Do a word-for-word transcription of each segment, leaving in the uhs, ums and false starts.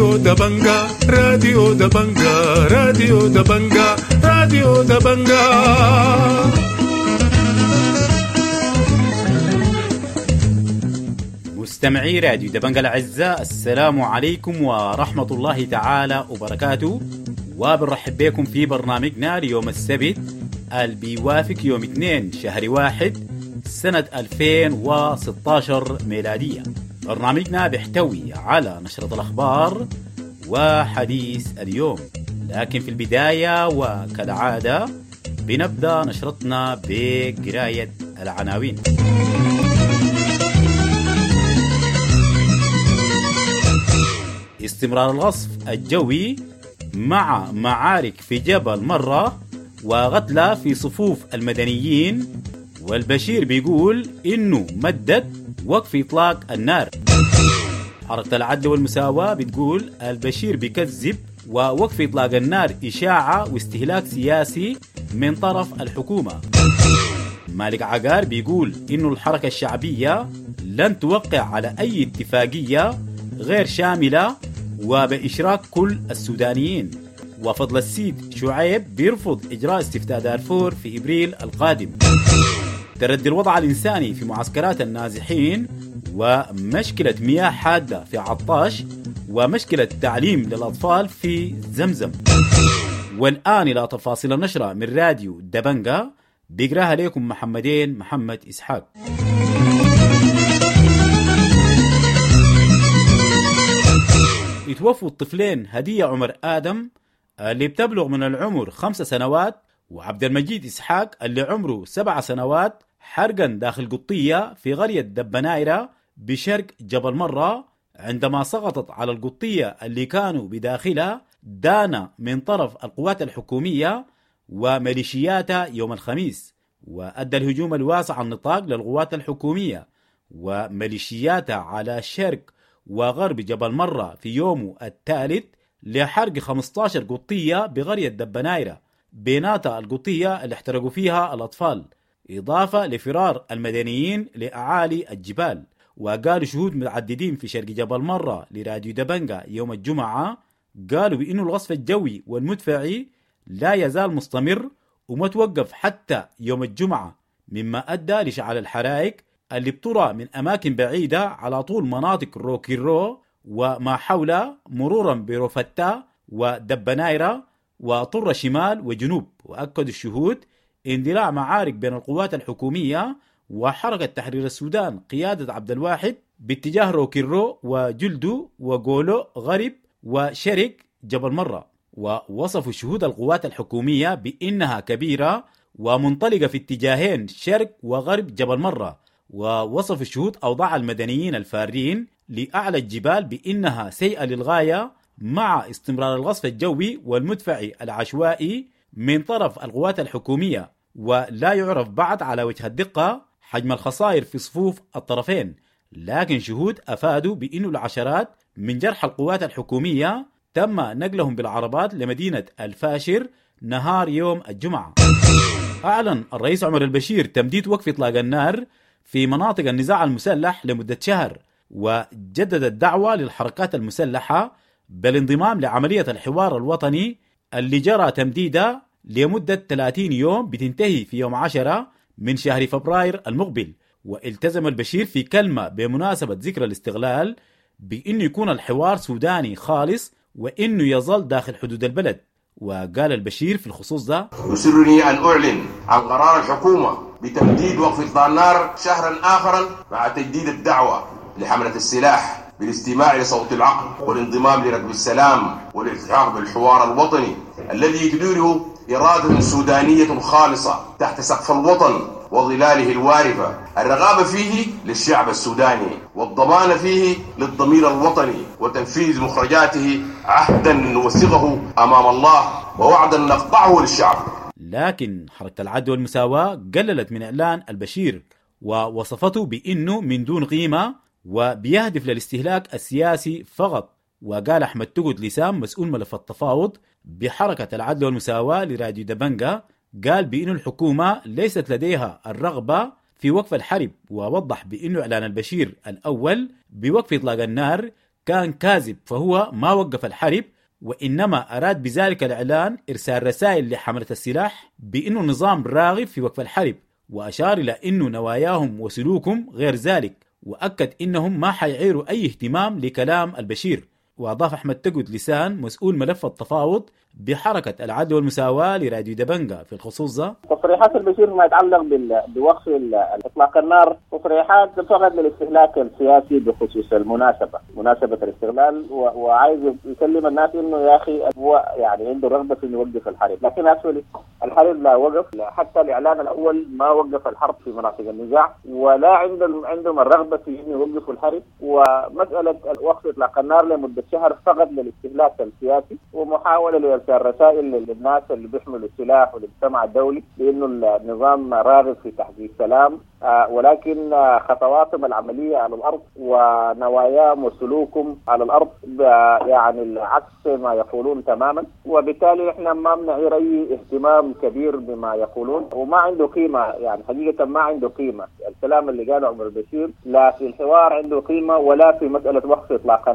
راديو دبنجا راديو دبنجا راديو دبنجا راديو دبنجا. مستمعي راديو دبنجا الأعزاء، السلام عليكم ورحمة الله تعالى وبركاته، وبنرحب بكم في برنامجنا ليوم السبت اللي بيوافق يوم اثنين شهر واحد سنة ألفين وستة عشر ميلادية. برنامجنا بيحتوي على نشرة الأخبار وحديث اليوم، لكن في البداية وكالعادة بنبدأ نشرتنا بقراية العناوين. استمرار القصف الجوي مع معارك في جبل مرة وقتلى في صفوف المدنيين، والبشير بيقول إنه مدد وقف إطلاق النار. حركة العدل والمساواة بتقول البشير بيكذب ووقف إطلاق النار إشاعة واستهلاك سياسي من طرف الحكومة. مالك عقار بيقول إنه الحركة الشعبية لن توقع على أي اتفاقية غير شاملة وبإشراك كل السودانيين. وفضل السيد شعيب بيرفض إجراء استفتاء دارفور في إبريل القادم. تردي الوضع الإنساني في معسكرات النازحين، ومشكلة مياه حادة في عطاش، ومشكلة تعليم للأطفال في زمزم. والآن إلى تفاصيل النشرة من راديو دبنجا، بيقراها لكم محمدين محمد إسحاق. يتوفوا الطفلين هدية عمر آدم اللي بتبلغ من العمر خمس سنوات، وعبد المجيد إسحاق اللي عمره سبع سنوات، حرقا داخل قطية في قرية دبنايرة بشرق جبل مرة، عندما سقطت على القطية اللي كانوا بداخلها دانا من طرف القوات الحكومية وميليشياتها يوم الخميس. وأدى الهجوم الواسع النطاق للقوات الحكومية وميليشياتها على شرق وغرب جبل مرة في يومه الثالث لحرق خمسة عشر قطية بقرية دبنايرة، بيناتها القطية اللي احترقوا فيها الأطفال، إضافة لفرار المدنيين لأعالي الجبال. وقالوا شهود متعددين في شرق جبل مرة لراديو دبنجا يوم الجمعة، قالوا بأنه القصف الجوي والمدفعي لا يزال مستمر وما توقف حتى يوم الجمعة، مما أدى لشعل الحرائق اللي بترى من أماكن بعيدة على طول مناطق روكيرو وما حولها، مرورا بروفتا ودبنايرة وطر شمال وجنوب. وأكدوا الشهود اندلاع معارك بين القوات الحكومية وحركة تحرير السودان قيادة عبد الواحد باتجاه روكيرو وجلدو وغولو غرب وشرق جبل مرة. ووصفوا شهود القوات الحكومية بأنها كبيرة ومنطلقة في اتجاهين شرق وغرب جبل مرة. ووصف الشهود أوضاع المدنيين الفارين لأعلى الجبال بأنها سيئة للغاية، مع استمرار القصف الجوي والمدفعي العشوائي من طرف القوات الحكومية، ولا يعرف بعد على وجه الدقة حجم الخسائر في صفوف الطرفين. لكن شهود أفادوا بأن العشرات من جرحى القوات الحكومية تم نقلهم بالعربات لمدينة الفاشر نهار يوم الجمعة. أعلن الرئيس عمر البشير تمديد وقف إطلاق النار في مناطق النزاع المسلح لمدة شهر، وجدد الدعوة للحركات المسلحة بالانضمام لعملية الحوار الوطني اللي جرى تمديده لمدة ثلاثين يوم بتنتهي في يوم عشرة من شهر فبراير المقبل. والتزم البشير في كلمة بمناسبة ذكرى الاستغلال بأنه يكون الحوار سوداني خالص وإنه يظل داخل حدود البلد. وقال البشير في الخصوص ده: يسرني أن أعلن عن قرار الحكومة بتمديد وقف إطلاق النار شهرا آخرا مع تجديد الدعوة لحملة السلاح بالاستماع لصوت العقل والانضمام لركب السلام والالتحاق بالحوار الوطني الذي تديره إرادة سودانية خالصة تحت سقف الوطن وظلاله الوارفة، الرغابة فيه للشعب السوداني والضمان فيه للضمير الوطني وتنفيذ مخرجاته عهدا نوثقه أمام الله ووعدا نقطعه للشعب. لكن حركة العدل والمساواة قللت من إعلان البشير ووصفته بأنه من دون قيمة وبيهدف للاستهلاك السياسي فقط. وقال أحمد تقد لسام مسؤول ملف التفاوض بحركة العدل والمساواة لراديو دبنجا، قال بأن الحكومة ليست لديها الرغبة في وقف الحرب، ووضح بأنه إعلان البشير الأول بوقف إطلاق النار كان كاذب، فهو ما وقف الحرب، وإنما أراد بذلك الإعلان إرسال رسائل لحملة السلاح بأنه النظام راغب في وقف الحرب، وأشار إلى أنه نواياهم وسلوكهم غير ذلك، وأكد إنهم ما حيعيروا أي اهتمام لكلام البشير. وأضاف أحمد تقد لسان مسؤول ملف التفاوض بحركة العدل والمساواة لراديو دبنجا في الخصوص ده: تصريحات البشير ما يتعلق بوقف إطلاق النار تصريحات فقط للاستهلاك السياسي بخصوص المناسبة، مناسبة الاستغلال، وعايز يكلم الناس إنه يا أخي هو يعني عنده رغبة في إنه يوقف الحرب، لكن أكشولي الحرب لا وقف، حتى الإعلان الأول ما وقف الحرب في مناطق النزاع، ولا عندهم عندهم الرغبة في إنه يوقفوا الحرب. ومسألة وقف إطلاق النار لمدة شهر فقط للاستهلاك السياسي ومحاولة لإرسال رسائل للناس اللي بيحملوا السلاح وللمجتمع الدولي بأنه النظام راغب في تحقيق سلام، ولكن خطواتهم العملية على الأرض ونواياهم وسلوكهم على الأرض يعني العكس ما يقولون تماما، وبالتالي احنا ما بنعير أي اهتمام كبير بما يقولون، وما عنده قيمة، يعني حقيقة ما عنده قيمة الكلام اللي قاله عمر البشير، لا في الحوار عنده قيمة ولا في مسألة وقف إطلاق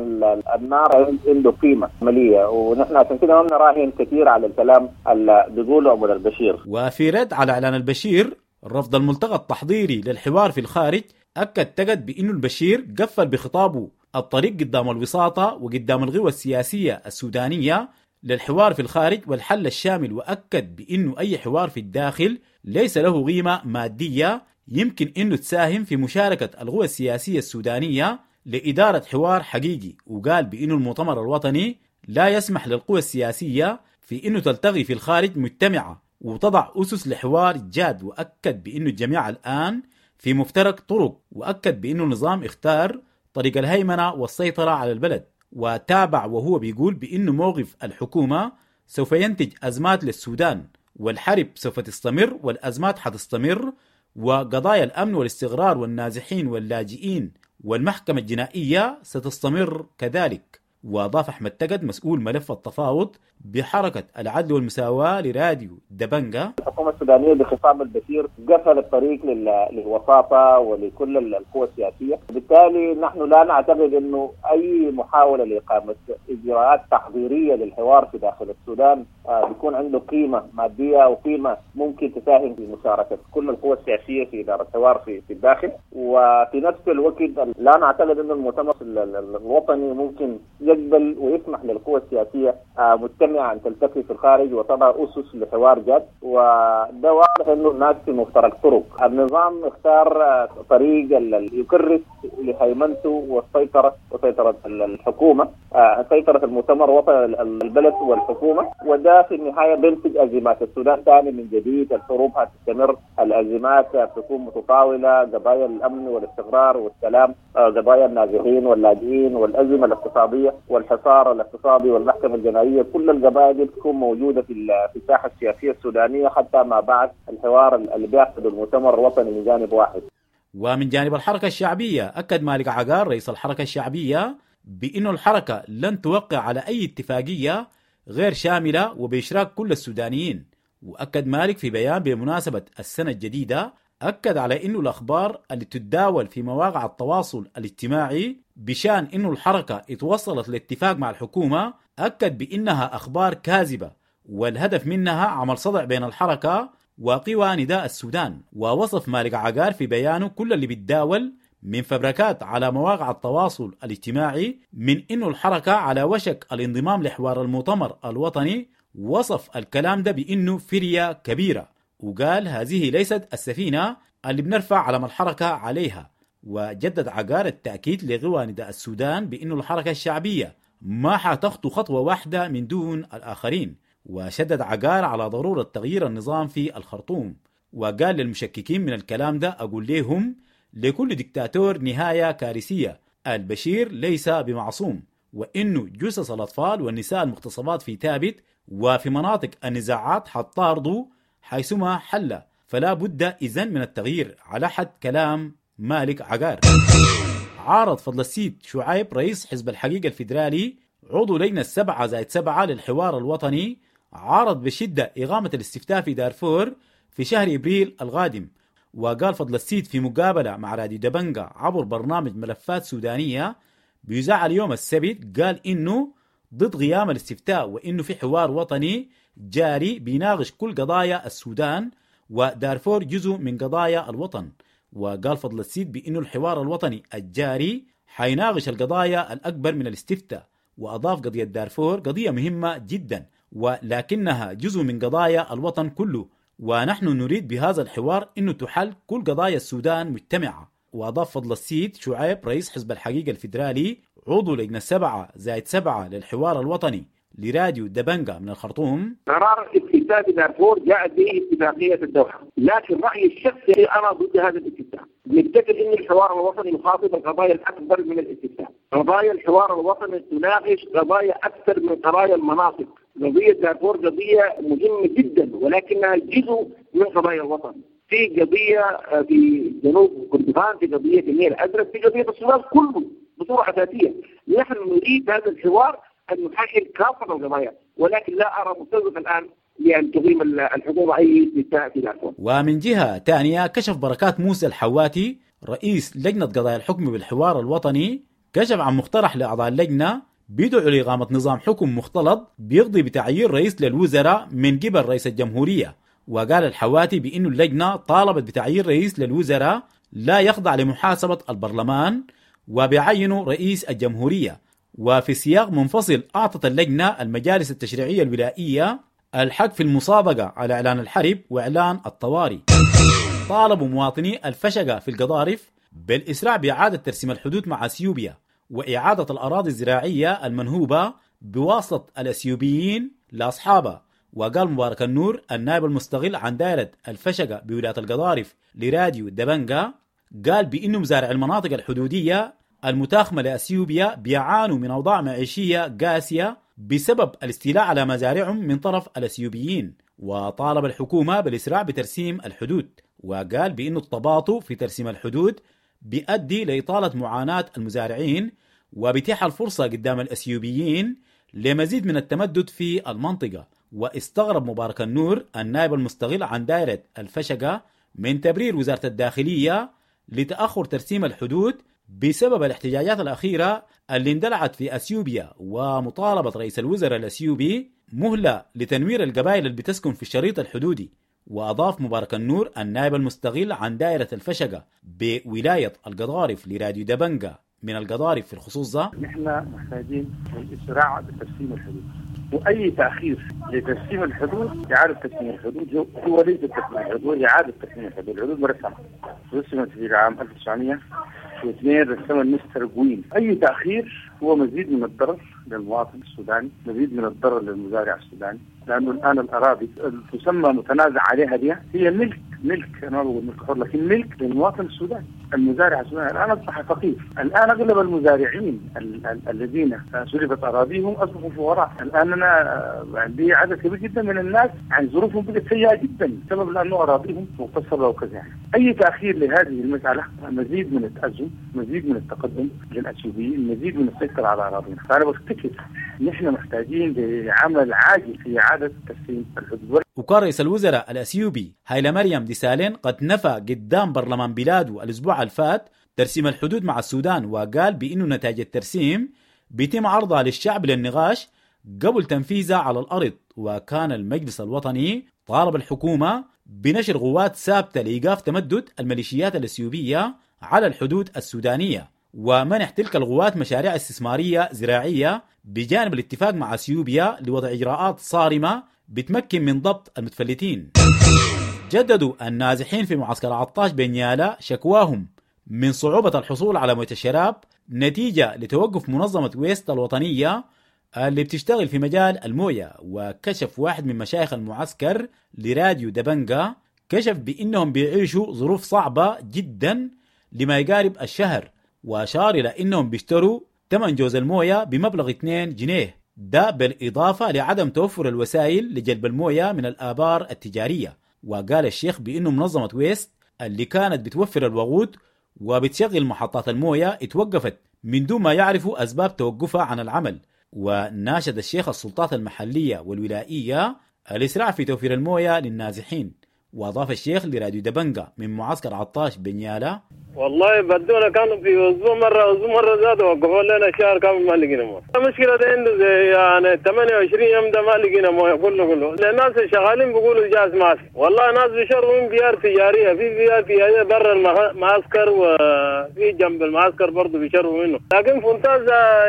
النار عنده قيمة عملية، ونحن عشان كده ما بنراهن كثير على الكلام اللي بيقوله عمر البشير. وفي رد على إعلان البشير رفض الملتقى التحضيري للحوار في الخارج، أكد تقد بأنه البشير قفل بخطابه الطريق قدام الوساطة وقدام القوى السياسية السودانية للحوار في الخارج والحل الشامل، وأكد بأنه أي حوار في الداخل ليس له قيمة مادية يمكن أنه تساهم في مشاركة القوى السياسية السودانية لإدارة حوار حقيقي. وقال بأنه المؤتمر الوطني لا يسمح للقوى السياسية في أنه تلتقي في الخارج مجتمعة وتضع أسس لحوار جاد، وأكد بأنه الجميع الآن في مفترق طرق، وأكد بأنه النظام اختار طريق الهيمنة والسيطرة على البلد. وتابع وهو بيقول بأنه موقف الحكومة سوف ينتج أزمات للسودان، والحرب سوف تستمر والأزمات حتستمر، وقضايا الأمن والاستقرار والنازحين واللاجئين والمحكمة الجنائية ستستمر كذلك. وأضاف أحمد تقد مسؤول ملف التفاوض بحركة العدل والمساواة لراديو دبنجا: الحكومة السودانية بخطاب البشير قفل الطريق للوساطة ولكل القوى السياسية، وبالتالي نحن لا نعتقد أنه أي محاولة لإقامة إجراءات تحضيرية للحوار في داخل السودان بيكون عنده قيمة مادية أو قيمة ممكن تساهم في مشاركة كل القوى السياسية في إدارة الحوار في في الداخل. وفي نفس الوقت لا نعتقد أن المؤتمر الوطني ممكن يقبل ويسمح للقوى السياسية مجتمعة أن تلتقي في الخارج وتضع أسس لحوار جاد، وده واضح أنه الناس في مفترق طرق. النظام اختار طريق يكرس لهيمنته والسيطرة وسيطرة الحكومة، سيطرة المؤتمر الوطني البلد والحكومة، وده في النهاية بينتج أزمات السودان ثاني من جديد. الحروب هتستمر، الأزمات تكون متطاولة، قضايا الأمن والاستقرار والسلام، قضايا النازحين واللاجئين والأزمة الاقتصادية والحصار الاقتصادي والمحكمة الجنائية، كل القضايا دي تكون موجودة في في الساحة السياسية السودانية حتى ما بعد الحوار اللي بيعقده المؤتمر الوطني من جانب واحد. ومن جانب الحركة الشعبية، أكد مالك عقار رئيس الحركة الشعبية بأن الحركة لن توقع على أي اتفاقية غير شاملة وبإشراك كل السودانيين. وأكد مالك في بيان بمناسبة السنة الجديدة، أكد على أنه الأخبار اللي تتداول في مواقع التواصل الاجتماعي بشأن أنه الحركة اتوصلت لاتفاق مع الحكومة، أكد بأنها أخبار كاذبة والهدف منها عمل صدع بين الحركة وقوى نداء السودان. ووصف مالك عقار في بيانه كل اللي بيتداول من فبركات على مواقع التواصل الاجتماعي من أنه الحركة على وشك الانضمام لحوار المؤتمر الوطني، وصف الكلام ده بأنه فرية كبيرة، وقال هذه ليست السفينة اللي بنرفع علم الحركة عليها. وجدد عقار التأكيد لقوى نداء السودان بأنه الحركة الشعبية ما حتخطو خطوة واحدة من دون الآخرين. وشدد عقار على ضرورة تغيير النظام في الخرطوم، وقال للمشككين من الكلام ده أقول لهم لكل دكتاتور نهاية كارثية، البشير ليس بمعصوم، وإنه جثث الأطفال والنساء المغتصبات في ثابت وفي مناطق النزاعات حتطاردوا حيثما حل، فلا بد إذن من التغيير، على حد كلام مالك عقار. عارض فضل السيد شعيب رئيس حزب الحقيقة الفيدرالي عضو لجنة السبعة زائد سبعة للحوار الوطني، عارض بشدة إقامة الاستفتاء في دارفور في شهر إبريل القادم. وقال فضل السيد في مقابلة مع راديو دبنجا عبر برنامج ملفات سودانية بيذاع اليوم السبت قال إنه ضد قيام الاستفتاء، وإنه في حوار وطني جاري بيناقش كل قضايا السودان ودارفور جزء من قضايا الوطن. وقال فضل السيد بأنه الحوار الوطني الجاري حيناقش القضايا الأكبر من الاستفتاء. وأضاف قضية دارفور قضية مهمة جدا ولكنها جزء من قضايا الوطن كله، ونحن نريد بهذا الحوار أنه تحل كل قضايا السودان مجتمعة. وأضاف فضل السيد شعيب رئيس حزب الحقيقة الفيدرالي عضو لجنة سبعة زائد سبعة للحوار الوطني لراديو دبنجا من الخرطوم: قرار استفتاء دارفور جاءت به اتفاقية الدوحة، لكن رأيي الشخصي أنا ضد هذا الاستفتاء. نفتكر أن الحوار الوطني يخاطب القضايا الأكبر من الاستفتاء. قضايا الحوار الوطني تناقش قضايا أكثر من قضايا المناطق. قضية دارفور قضية مهمة جدا ولكنها جزء من قضايا الوطن. في قضية في جنوب كردفان، في قضية النيل الأزرق، في قضية السودان كله بصورة أساسية. نحن نريد هذا الحوار أن نحلل كافة القضايا، ولكن لا أرى مستوقف الآن لأن تقيم الحكومة أي استفتاء في دارفور. ومن جهة ثانية كشف بركات موسى الحواتي رئيس لجنة قضايا الحكم بالحوار الوطني كشف عن مقترح لأعضاء اللجنة بيدعو لإقامة نظام حكم مختلط بيقضي بتعيين رئيس للوزراء من قبل رئيس الجمهورية. وقال الحواتي بأن اللجنة طالبت بتعيين رئيس للوزراء لا يخضع لمحاسبة البرلمان وبيعينه رئيس الجمهورية. وفي سياق منفصل أعطت اللجنة المجالس التشريعية الولائية الحق في المصادقة على إعلان الحرب وإعلان الطوارئ. طالبوا مواطني الفشقة في القضارف بالإسراع بإعادة ترسيم الحدود مع أثيوبيا وإعادة الأراضي الزراعية المنهوبة بواسطة الأثيوبيين لأصحابها. وقال مبارك النور النائب المستقل عن دائرة الفشقة بولاية القضارف لراديو دبنجا قال بأنه مزارع المناطق الحدودية المتاخمة لأثيوبيا بيعانوا من أوضاع معيشية قاسية بسبب الاستيلاء على مزارعهم من طرف الأثيوبيين، وطالب الحكومة بالإسراع بترسيم الحدود. وقال بأن التباطؤ في ترسيم الحدود بيؤدي لإطالة معاناة المزارعين وبيتيح الفرصة قدام الأثيوبيين لمزيد من التمدد في المنطقة. واستغرب مبارك النور النائب المستقل عن دائرة الفشقة من تبرير وزارة الداخلية لتأخر ترسيم الحدود بسبب الاحتجاجات الأخيرة اللي اندلعت في أثيوبيا ومطالبة رئيس الوزراء الأثيوبي مهلة لتنوير القبائل اللي بتسكن في الشريط الحدودي. وأضاف مبارك النور النائب المستقل عن دائرة الفشقة بولاية القضارف لراديو دبنجا من القضارف في الخصوص ده: نحن محتاجين الإسراع بترسيم الحدود، وأي تأخير لترسيم الحدود إعادة ترسيم الحدود هو ليس ترسيم الحدود، إعادة ترسيم الحدود. الحدود مرسمة رسمت في العام ألف وتسعمائة واثنين رسمها المستر جوين. أي تأخير هو مزيد من الضرر للمواطن السوداني، مزيد من الضرر للمزارع السوداني، لأنه الآن الأراضي تسمى متنازع عليها دي هي ملك ملك أنا ما بقول ملك حر لكن ملك للمواطن السوداني. المزارع السوداني الآن أصبح فقير، الآن أغلب المزارعين ال- ال- الذين سلبت أراضيهم أصبحوا فقراء. الآن أنا عندي عدد كبير جدا من الناس عن ظروفهم بقت سيئة جدا بسبب لأنه أراضيهم مغتصبة وكذا. يعني أي تأخير لهذه المسألة مزيد من التأزم، مزيد من التقدم للأثيوبيين، مزيد من السيطرة على أراضينا. فأنا بفتكر نحن محتاجين لعمل عاجل في إعادة ترسيم الحدود. وكان رئيس الوزراء الأثيوبي هايلا مريم ديسالين قد نفى قدام برلمان بلاده الأسبوع الفات ترسيم الحدود مع السودان، وقال بأنه نتائج الترسيم بيتم عرضها للشعب للنقاش قبل تنفيذها على الأرض. وكان المجلس الوطني طالب الحكومة بنشر قوات ثابتة لإيقاف تمدد الميليشيات الأثيوبية على الحدود السودانية ومنح تلك القوات مشاريع استثمارية زراعية بجانب الاتفاق مع أثيوبيا لوضع إجراءات صارمة بتمكن من ضبط المتفلتين. جددوا النازحين في معسكر عطاش بنيالا شكواهم من صعوبة الحصول على موية الشراب نتيجة لتوقف منظمة ويست الوطنية اللي بتشتغل في مجال الموية. وكشف واحد من مشايخ المعسكر لراديو دبنجا كشف بأنهم بيعيشوا ظروف صعبة جدا لما يقارب الشهر، وأشار إلى أنهم بيشتروا ثمن جوز الموية بمبلغ اثنين جنيه، ده بالإضافة لعدم توفر الوسائل لجلب الموية من الآبار التجارية. وقال الشيخ بأنه منظمة ويست اللي كانت بتوفر الوقود وبتشغل محطات الموية اتوقفت من دون ما يعرفوا أسباب توقفها عن العمل. وناشد الشيخ السلطات المحلية والولائية الإسراع في توفير الموية للنازحين. وأضاف الشيخ لراديو دبنجا من معسكر عطاش بنيالا: والله بدونا كانوا في اسبوع مرة، اسبوع مرة زادوا وقفوا لنا شهر كامل ما لقينا مويه. المشكلة ده عنده زي يعني ثمانية وعشرين يوم ده ما لقينا مويه كله كله. الناس شغالين بيقولوا جاز ما في، والله ناس بيشربوا من بيار تجارية، في بيار تجارية برا المعسكر وفي جنب المعسكر برضه بيشربوا منه، لكن فنتاز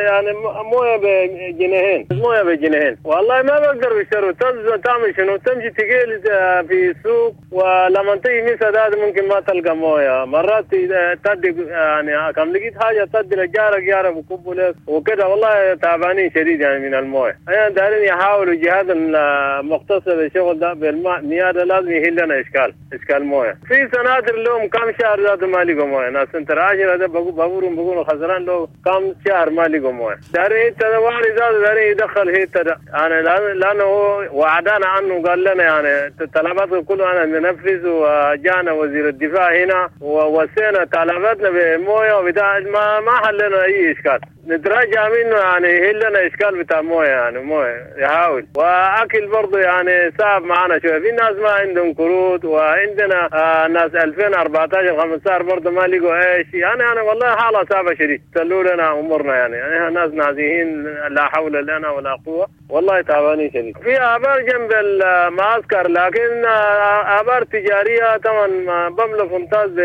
يعني مويه بجنيهين، مويه بجنيهين، والله ما بقدر بيشربوا. تعمل شنو؟ تمشي تقيل في السوق، ولما تيجي مسا ده ممكن ما تلقى مويه، مرات تدي يعني كم لقيت حاجة تدي لجارك جارك بكبوا لك وكده. والله تعبانين شديد يعني من المويه. انا دارين يحاولوا جهاز المختص بالشغل ده بالمياه ده لازم يحل لنا اشكال اشكال مويه. في سناتر لهم كم شهر ذاته ما لقوا مويه، ناس سنتر عشرة ده بابورهم بيقولوا خسران له كم شهر ما لقوا مويه. دارين الوالي ذاته دارين يدخل هيتا ده يعني، لانه هو وعدانا عنه قال لنا يعني طلباته كله انا ننفذ، وجانا وزير الدفاع هنا ووسينا طلباتنا بمويه وبتاع، ما ما حلنا اي اشكال. نتراجع منه يعني يحل لنا اشكال بتاع مويه يعني مويه يحاول. واكل برضه يعني صعب معنا شوية، في ناس ما عندهم كروت، وعندنا آه ناس ألفين وأربعة عشر خمسة عشر برضه ما لقوا ايش يعني. انا والله حاله صعبة شديد، سلوا لنا امورنا يعني، يعني ناس نازحين لا حول لنا ولا قوة، والله تعبانين شديد. في ابار جنب المعسكر لكن ابار تجارية طبعا بملى فنتاز ب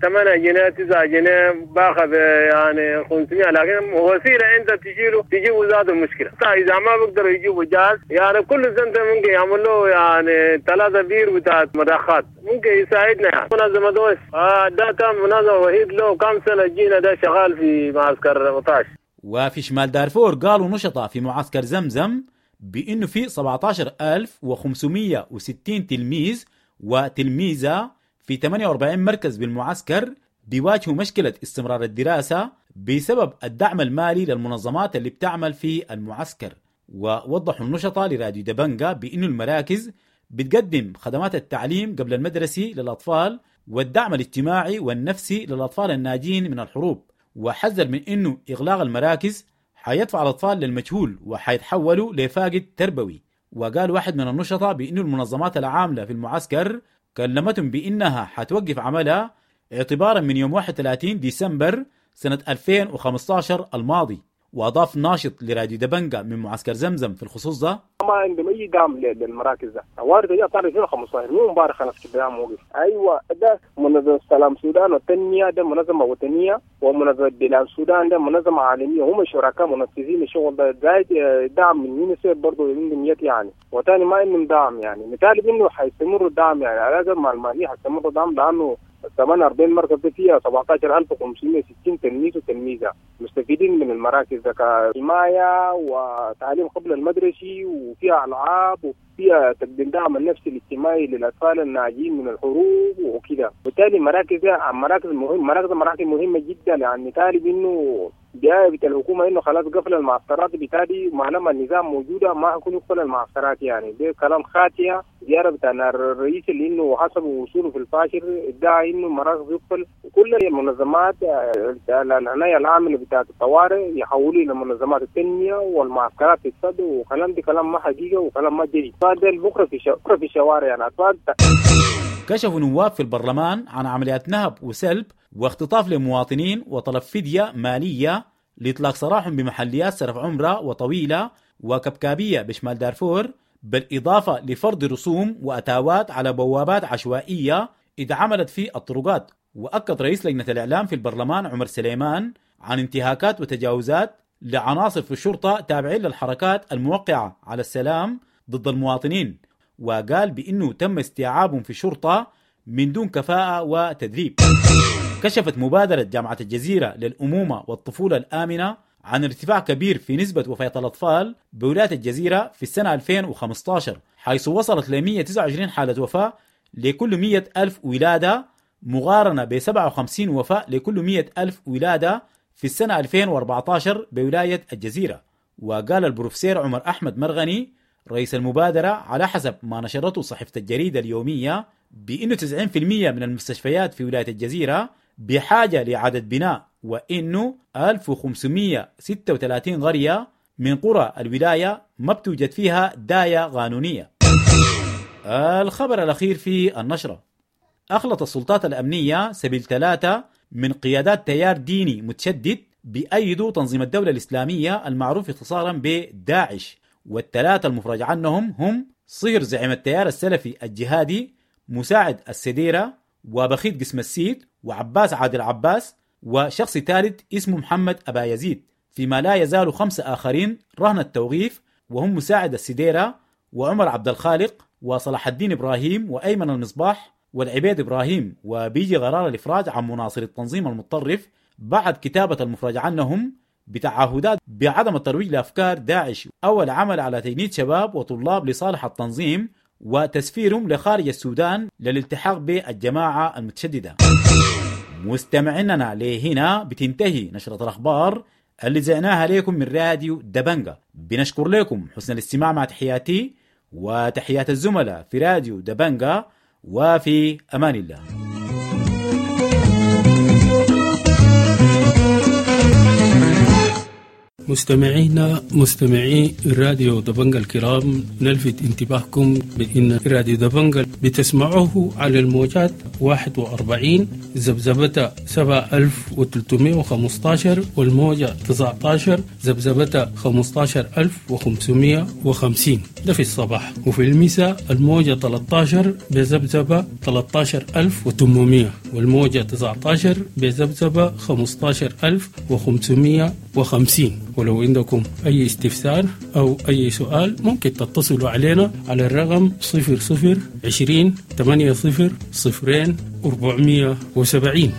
ثمانية جنيه تسعة جنيه باخذ يعني خمسمية، لكن وسيلة انت تشيله تجيبه ذاته مشكلة. اذا ما بيقدروا يجيبوا جاز يعني كل سنة ممكن يعمل له يعني ثلاثة بير بتاعت مضخات ممكن يساعدنا يعني. منظمة دوس آه ده كان منظمة وحيد له كم سنة جينا ده شغال في معسكر بطاش. وفي شمال دارفور قالوا نشطاء في معسكر زمزم بأنه في سبعة عشر ألف وخمسمية وستين تلميذ وتلميذة في ثمانية وأربعين مركز بالمعسكر بيواجهوا مشكلة استمرار الدراسة بسبب الدعم المالي للمنظمات اللي بتعمل في المعسكر. ووضحوا النشطاء لراديو دبنجا بأنه المراكز بتقدم خدمات التعليم قبل المدرسي للأطفال والدعم الاجتماعي والنفسي للأطفال الناجين من الحروب، وحذر من أنه إغلاق المراكز حيدفع الأطفال للمجهول وحيتحولوا لفاقد تربوي. وقال واحد من النشطاء بأنه المنظمات العاملة في المعسكر كلمتهم بأنها حتوقف عملها اعتبارا من يوم واحد وثلاثين ديسمبر سنة ألفين وخمسة عشر الماضي. وأضاف ناشط لراديو دبنجا من معسكر زمزم في الخصوص ده: ما عندهم أي دعم للمراكز ده، وارد دي أطار ألفين وخمسة عشر مو مبارك خلاص كده دعم وقف. أيوة ده منظمة سلام السودان والتنمية ده منظمة وطنية، ومنظمة بلاد السودان ده منظمة عالمية، هم شركاء منفذين الشغل ده، زائد دعم من يونيسف برضه عندهم يد يعني، وثاني ما عندهم دعم يعني. نطالب إنه حيستمروا الدعم يعني على الأقل مع المالية حيستمروا الدعم، لأنه ثمانية وأربعين مركز فيها سبعة عشر ألف وخمسمية وستين تلميذ وتلميذة مستفيدين من المراكز ده كحماية وتعليم قبل المدرسي، وفيها ألعاب وفيها تقديم دعم النفسي الاجتماعي للأطفال الناجين من الحروب وكده. وبالتالي المراكز مراكز مهم مراكز مراكز مهمة جدا يعني. طالب إنه جاية الحكومة إنه خلاص قفل المعسكرات، بالتالي ما لما النظام موجودة ما حيكون يقفل المعسكرات يعني. ده كلام خاطئ. زيارة بتاع الرئيس اللي إنه حسب وصوله في الفاشر ادعى إنه المراكز يقفل، وكل المنظمات العناية العاملة بتاعت الطوارئ يحولوا إلى منظمات التنمية والمعسكرات تتسد، وكلام دي كلام ما حقيقة وكلام ما جديد. فده بكرة في بكرة في الشوارع يعني أطفال. كشفوا نواب في البرلمان عن عمليات نهب وسلب واختطاف لمواطنين وطلب فدية مالية لإطلاق سراحهم بمحليات سرف عمرة وطويلة وكبكابية بشمال دارفور، بالإضافة لفرض رسوم وأتاوات على بوابات عشوائية اتعملت في الطرقات. وأكد رئيس لجنة الإعلام في البرلمان عمر سليمان عن انتهاكات وتجاوزات لعناصر في الشرطة تابعين للحركات الموقعة على السلام ضد المواطنين، وقال بأنه تم استيعابهم في الشرطة من دون كفاءة وتدريب. كشفت مبادرة جامعة الجزيرة للأمومة والطفولة الآمنة عن ارتفاع كبير في نسبة وفاة الأطفال بولاية الجزيرة في السنة ألفين وخمسة عشر، حيث وصلت ل مئة وتسعة وعشرين حالة وفاة لكل مئة ألف ولادة، مقارنة ب سبعة وخمسين وفاة لكل مئة ألف ولادة في السنة ألفين وأربعة عشر بولاية الجزيرة. وقال البروفيسور عمر أحمد مرغني رئيس المبادرة على حسب ما نشرته صحيفة الجريدة اليومية بأنه تسعين بالمئة من المستشفيات في ولاية الجزيرة بحاجة لإعادة بناء، وإنه ألف وخمسمئة وستة وثلاثين قرية من قرى الولاية ما بتوجد فيها داية قانونية. الخبر الأخير في النشرة: أخلت السلطات الأمنية سبيل ثلاثة من قيادات تيار ديني متشدد بأيدوا تنظيم الدولة الإسلامية المعروف اختصارا بداعش، والثلاثة المفرج عنهم هم صهر زعيم التيار السلفي الجهادي مساعد السديرة وبخيت قسم السيد وعباس عادل عباس وشخص ثالث اسمه محمد أبا يزيد، فيما لا يزال خمسة آخرين رهن التوقيف وهم مساعد السديرة وعمر عبد الخالق وصلاح الدين إبراهيم وأيمن المصباح والعبيد إبراهيم. وبيجي قرار الإفراج عن مناصر التنظيم المتطرف بعد كتابة المفرج عنهم بتعهدات بعدم الترويج لأفكار داعش أو العمل على تجنيد شباب وطلاب لصالح التنظيم وتسفيرهم لخارج السودان للالتحاق بالجماعة المتشددة. مستمعيننا لهنا بتنتهي نشرة الأخبار اللي زعناها لكم من راديو دبنجا. بنشكر لكم حسن الاستماع مع تحياتي وتحيات الزملاء في راديو دبنجا، وفي أمان الله. مستمعينا مستمعي راديو دبنجا الكرام، نلفت انتباهكم بأن راديو دبنجا بتسمعوه على الموجات واحد وأربعين ذبذبة سبعة ألف وثلاثمائة وخمسة عشر والموجة تسعة عشر ذبذبة خمسة عشر ألف وخمسمائة وخمسين، ده في الصباح، وفي المساء الموجة ثلاثة عشر بذبذبة ثلاثة عشر ألف وثمانمائة والموجة تسعة عشر بذبذبة خمسة عشر ألف وخمسمائة وخمسين. ولو عندكم أي استفسار أو أي سؤال ممكن تتصلوا علينا على الرقم صفر صفر عشرين ثمانية صفر صفرين أربعمية وسبعين،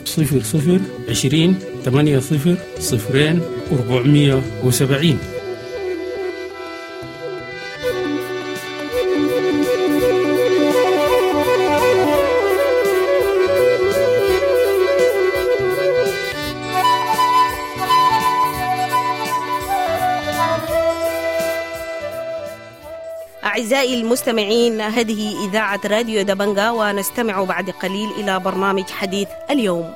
صفر صفر عشرين ثمانية صفر صفرين أربعمية وسبعين. أعزائي المستمعين، هذه إذاعة راديو دبنجا، ونستمع بعد قليل إلى برنامج حديث اليوم.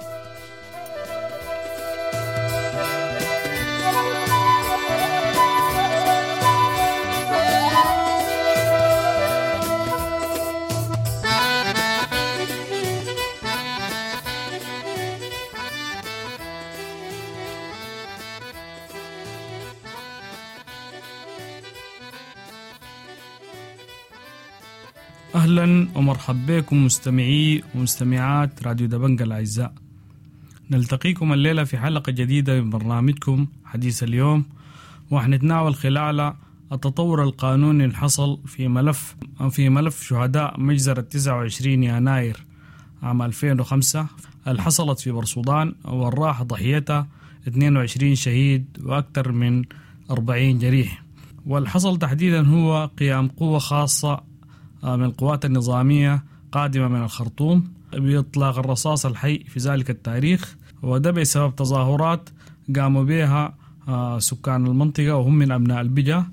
أهلا ومرحبا بكم مستمعي ومستمعات راديو دبنجا الأعزاء. نلتقيكم الليلة في حلقة جديدة من برنامجكم حديث اليوم، وحنتناول خلالها التطور القانوني اللي حصل في ملف في ملف شهداء مجزرة تسعة وعشرين يناير عام ألفين وخمسة اللي حصلت في برسودان والراح ضحيتها اثنين وعشرين شهيد وأكثر من أربعين جريح. والحصل تحديدا هو قيام قوة خاصة من القوات النظامية قادمة من الخرطوم بإطلاق الرصاص الحي في ذلك التاريخ، وده بسبب تظاهرات قاموا بها سكان المنطقة وهم من أبناء البجا.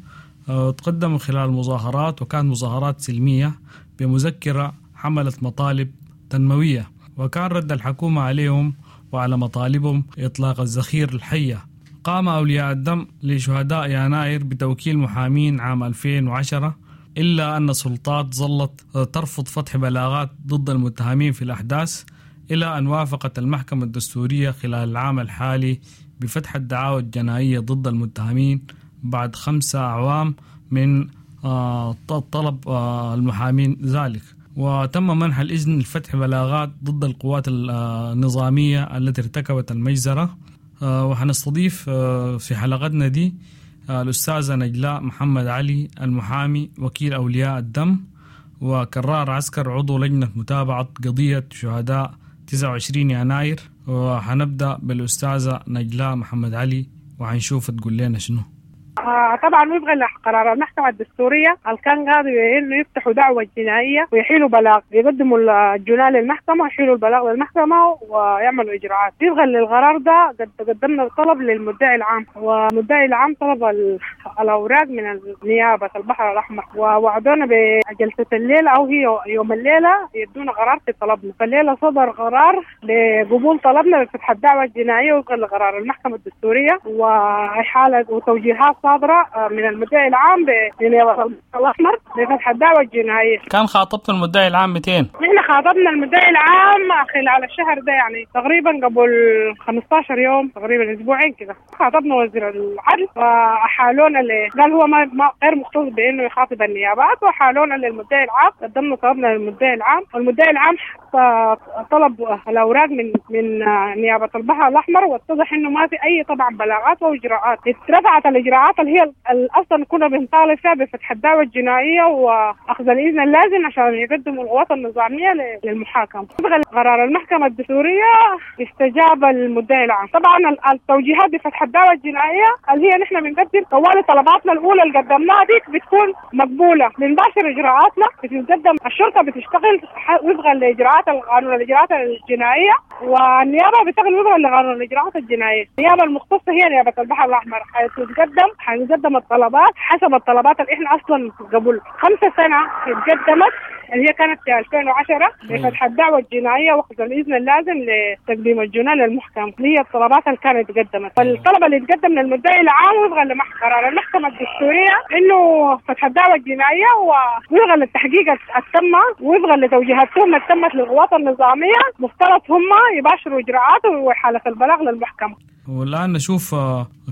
تقدموا خلال المظاهرات، وكانت مظاهرات سلمية بمذكرة حملت مطالب تنموية، وكان رد الحكومة عليهم وعلى مطالبهم إطلاق الذخيرة الحية. قام أولياء الدم لشهداء يناير بتوكيل محامين عام ألفين وعشرة، إلا أن السلطات ظلت ترفض فتح بلاغات ضد المتهمين في الأحداث، إلى أن وافقت المحكمة الدستورية خلال العام الحالي بفتح الدعاوى الجنائية ضد المتهمين بعد خمسة أعوام من طلب المحامين ذلك. وتم منح الإذن لفتح بلاغات ضد القوات النظامية التي ارتكبت المجزرة. وحنستضيف في حلقتنا دي الأستاذة نجلاء محمد علي المحامي وكيل أولياء الدم، وكرار عسكر عضو لجنة متابعة قضية شهداء تسعة وعشرين يناير. وحنبدأ بالأستاذة نجلاء محمد علي وحنشوف تقول لنا شنو. آه طبعا وفقا لقرار المحكمة الدستورية كان قاضي انه يفتحوا دعوة جنائية ويحيلوا بلاغ، يقدموا الجناة للمحكمة ويحيلوا البلاغ للمحكمة ويعملوا اجراءات. وفقا للقرار ده قد قدمنا الطلب للمدعي العام، والمدعي العام طلب الاوراق من نيابة البحر الاحمر، ووعدونا بجلسة الليلة او هي يوم الليلة يدونا قرار في طلبنا. فالليلة صدر قرار لقبول طلبنا بفتح الدعوة الجنائية وفقا لقرار المحكمة الدستورية وإحالة وتوجيهات صادرة من المدعي العام بنيابة الأحمر بفتح الدعوة الجنائية. كان خاطبت المدعي العام مئتين؟ نحن خاطبنا المدعي العام خلال الشهر ده، يعني تقريبا قبل خمستاشر يوم، تقريبا اسبوعين كده. خاطبنا وزير العدل وحالونا ل قال هو ما غير مختص بانه يخاطب النيابات، وحالونا للمدعي العام. قدمنا طلبنا للمدعي العام، والمدعي العام طلب الاوراق من من نيابة البحر الاحمر، واتضح انه ما في اي طبعا بلاغات واجراءات. اترفعت الاجراءات اللي هي اصلا كنا بنطالب فيها بفتح الدعوة الجنائية واخذ الاذن اللازم عشان يقدموا القوات النظامية للمحاكمه. قرار المحكمة الدستورية استجاب المدعي العام. طبعا التوجيهات بفتح الدعوة الجنائية اللي هي نحن بنقدم طوال طلباتنا الاولى اللي قدمناها ديك بتكون مقبولة، بنباشر اجراءاتنا، بتتقدم الشرطة بتشتغل وفقا لاجراءات القانون الاجراءات الجنائية، والنيابه بتشتغل وفقا لقانون الاجراءات الجنائية. النيابة المختصة هي نيابة البحر الاحمر، حتتقدم حنقدم الطلبات حسب الطلبات اللي احنا اصلا قبل خمسة سنة اتقدمت اللي هي كانت في ألفين وعشرة بفتح الدعوة الجنائية واخذ الاذن اللازم لتقديم الجناه للمحكمة. هي الطلبات اللي كانت تقدمت، فالطلب اللي تقدم للمدعي العام وفقا لقرار المحكمة الدستورية انه فتح الدعوة الجنائية ووفقا للتحقيق التم وفقا لتوجيهات التهمة تمت للقوات النظامية، مفترض هم يباشروا اجراءات وحاله البلاغ للمحكمة. والآن نشوف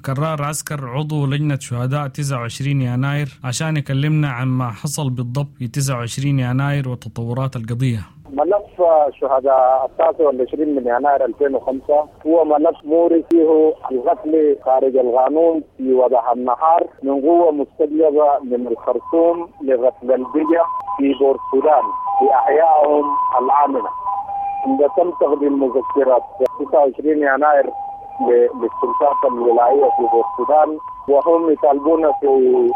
كرار عسكر عضو لجنة شهداء تسعة وعشرين يناير عشان يكلمنا عن ما حصل بالضبط في تسعة وعشرين يناير وتطورات القضية. ملف شهداء التاسع والعشرين من يناير ألفين وخمسة هو ملف موري فيه القتل خارج القانون في وضح النهار من قوة مستجلبة من الخرطوم لقتل البجا في بور السودان في أحيائهم الآمنة. عندما تم تقديم مذكرات تسعة وعشرين يناير للسلطات الولائية في السودان، وهم يطالبون في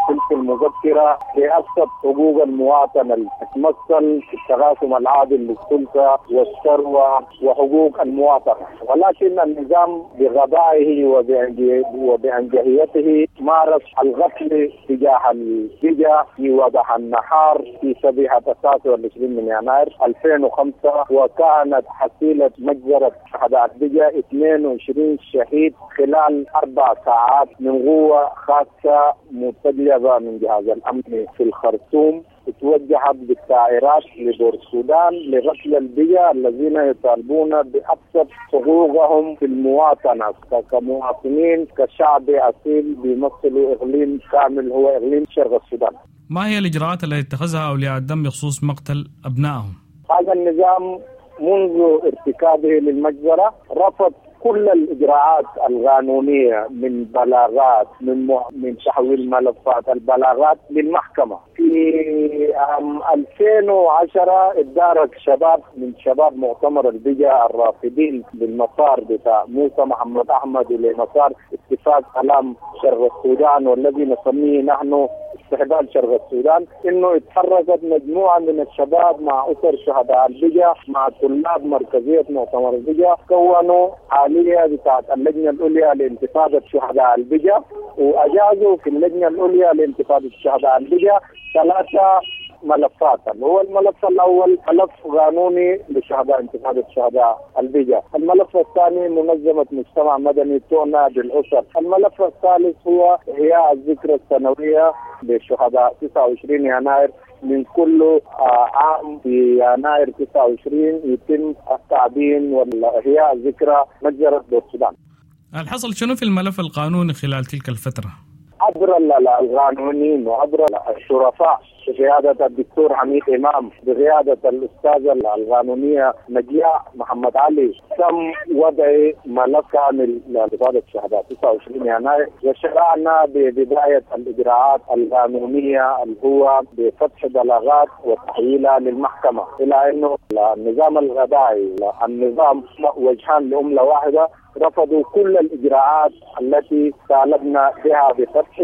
تلك المذكرة بأبسط حقوق المواطن التي تتمثل في التقاسم العادل للسلطة والثروة وحقوق المواطنة. ولكن النظام بغبائه وبأنجهيته مارس القتل تجاه البجا في وضح النهار في صبيحة التاسع والعشرين من يناير ألفين وخمسة، وكانت حصيلة مجزرة شهداء البجا اثنين وعشرين شهيد خلال أربع ساعات من قوة خاصة مستجلبة من جهاز الأمن في الخرطوم، توجهت بالطائرات لبور السودان لقتل البجا الذين يطالبون بأبسط حقوقهم في المواطنة كمواطنين كشعب أصيل بيمثلوا إقليم كامل هو إقليم شرق السودان. ما هي الإجراءات التي اتخذها أولياء الدم بخصوص مقتل أبنائهم؟ هذا النظام منذ ارتكابه للمجزرة رفض كل الإجراءات القانونية من بلاغات من من تحويل ملفات البلاغات للمحكمة. في عام ألفين وعشرة ادارك شباب من شباب مؤتمر البجا الرافضين للمسار بتاع موسى محمد أحمد ولمسار اتفاق سلام شرق السودان والذي نسميه نحن استحلال شرق السودان، انه اتحركت مجموعة من الشباب مع اسر شهداء البجا مع طلاب مركزية مؤتمر البجا، كونوا آلية بتاعت اللجنة العليا لانتفاضه شهداء البجا، واجازوا في اللجنة العليا لانتفاضه شهداء البجا ثلاثة ملفات. هو الملف الأول ملف قانوني لشهداء انتفاضة شهداء البجا، الملف الثاني منظمة مجتمع مدني تعنى بالأسر، الملف الثالث هو إحياء الذكرى السنوية لشهداء تسعة وعشرين يناير. من كل عام في يناير تسعة وعشرين يتم التعبين والإحياء الذكرى مجزرة السودان. الحصل شنو في الملف القانوني خلال تلك الفترة؟ عبر القانونيين وعبر الشرفاء بقيادة الدكتور حميد إمام، بقيادة الأستاذة القانونية نجياء محمد علي، تم وضع ملف كامل لانتفاضة الشهداء تسعة وعشرين يناير، وشرعنا ببداية الإجراءات القانونية اللي هو بفتح بلاغات وتحويلها للمحكمة، إلى أنه النظام الغبائي النظام وجهان لأملة واحدة رفضوا كل الإجراءات التي طالبنا بها بفتح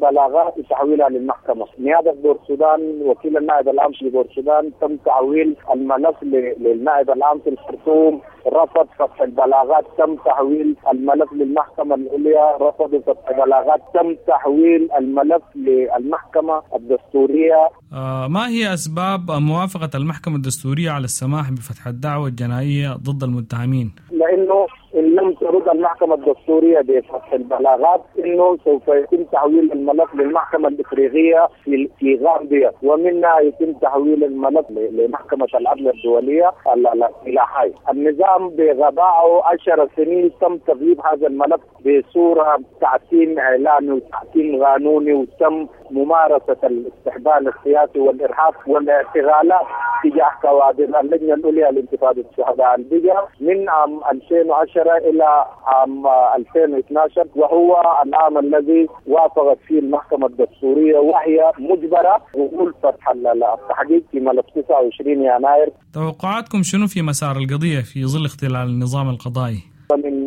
بلاغات وتحويلها للمحكمة. نيابة بور السودان، وكيل النائب العام في بور السودان، تم تحويل الملف للنائب العام في الخرطوم، رفض فتح البلاغات، تم تحويل الملف للمحكمة العليا، رفضوا فتح البلاغات، تم تحويل الملف للمحكمة الدستورية. آه ما هي أسباب موافقة المحكمة الدستورية على السماح بفتح الدعوة الجنائية ضد المتهمين؟ لأنه إن لم لم ترد المحكمة الدستورية بفتح البلاغات انه سوف يتم تحويل الملف للمحكمة الافريقية في في غامبيا، ومنها يتم تحويل الملف لمحكمة العدل الدولية الى لاهاي. النظام بغبائه عشر سنين تم تغييب هذا الملف بصورة تعتيم اعلامي وتعتيم قانوني، وتم ممارسة الاستهبال السياسي والارهاب والاعتقالات تجاه كوادر اللجنة العليا لانتفاضه الشهداء البجا من عام ألفين وعشرة الى عام ألفين واثني عشر، وهو العام الذي وافقت فيه المحكمة الدستورية وهي مجبرة قبول فتح التحقيق في ملف تسعة وعشرين يناير. توقعاتكم شنو في مسار القضية في ظل اختلال النظام القضائي؟ من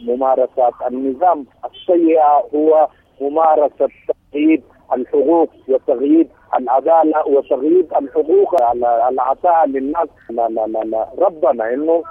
ممارسات النظام السيئة هو ممارسة تغييب الحقوق وتغييب العدالة وتغييب الحقوق على العطاء للناس. لا لا لا لا ربنا انه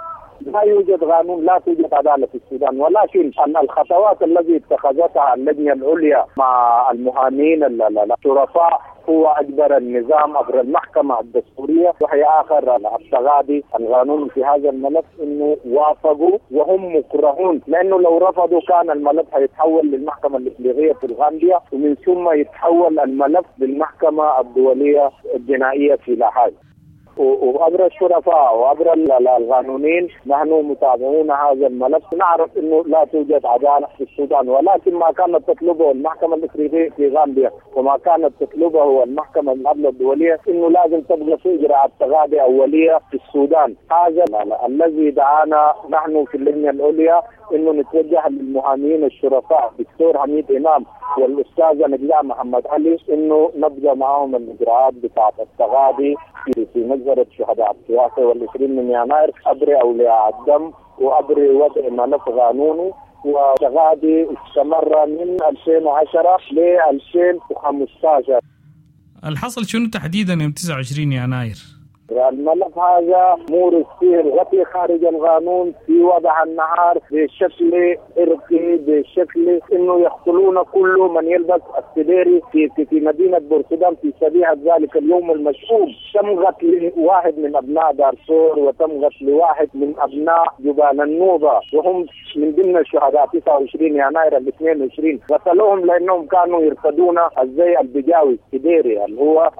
لا يوجد قانون، لا توجد عدالة في السودان، ولكن الخطوات التي اتخذتها اللجنة العليا مع المهامين الشرفاء هو اجبر النظام عبر المحكمة الدستورية، وهي اخر التغاضي القانوني في هذا الملف، انه وافقوا وهم مكرهون، لانه لو رفضوا كان الملف هيتحول للمحكمة الافريقية في الغامبيا، ومن ثم يتحول الملف للمحكمة الدولية الجنائية في لاهاي. وعبر الشرفاء وعبر القانونيين نحن متابعون هذا الملف، نعرف انه لا توجد عدالة في السودان، ولكن ما كانت تطلبه المحكمة الافريقية في غامبيا وما كانت تطلبه المحكمة العدل الدولية انه لازم تبقى في اجراءات تغاضي اوليه في السودان. هذا الذي دعانا نحن في اللجنة العليا انه نتوجه للمحامين الشرفاء الدكتور حميد امام والاستاذه نجلاء محمد علي انه نبدا معهم الاجراءات بتاعه التغاضي في في مجزرة شهداء السياسة والعشرين من يناير عبر اولياء الدم وعبر وضع ملف قانوني. وتغاضي استمر من ألفين وعشرة ل ألفين وخمسة عشر. الحصل شنو تحديدا يوم تسعة وعشرين يناير؟ الملف هذا مورس فيه الغطي خارج القانون في وضع النهار بشكل إرقي، بشكل انه يقتلون كل من يلبس السديري في في, في مدينة بورسودان في صبيحة ذلك اليوم المشؤوم. تم قتل واحد من ابناء دارفور وتم قتل واحد من ابناء جبال النوبة، وهم من ضمن الشهداء تسعة وعشرين يناير الاثنين وعشرين. قتلوهم لانهم كانوا يرتدون الزي البجاوي السديري اللي هو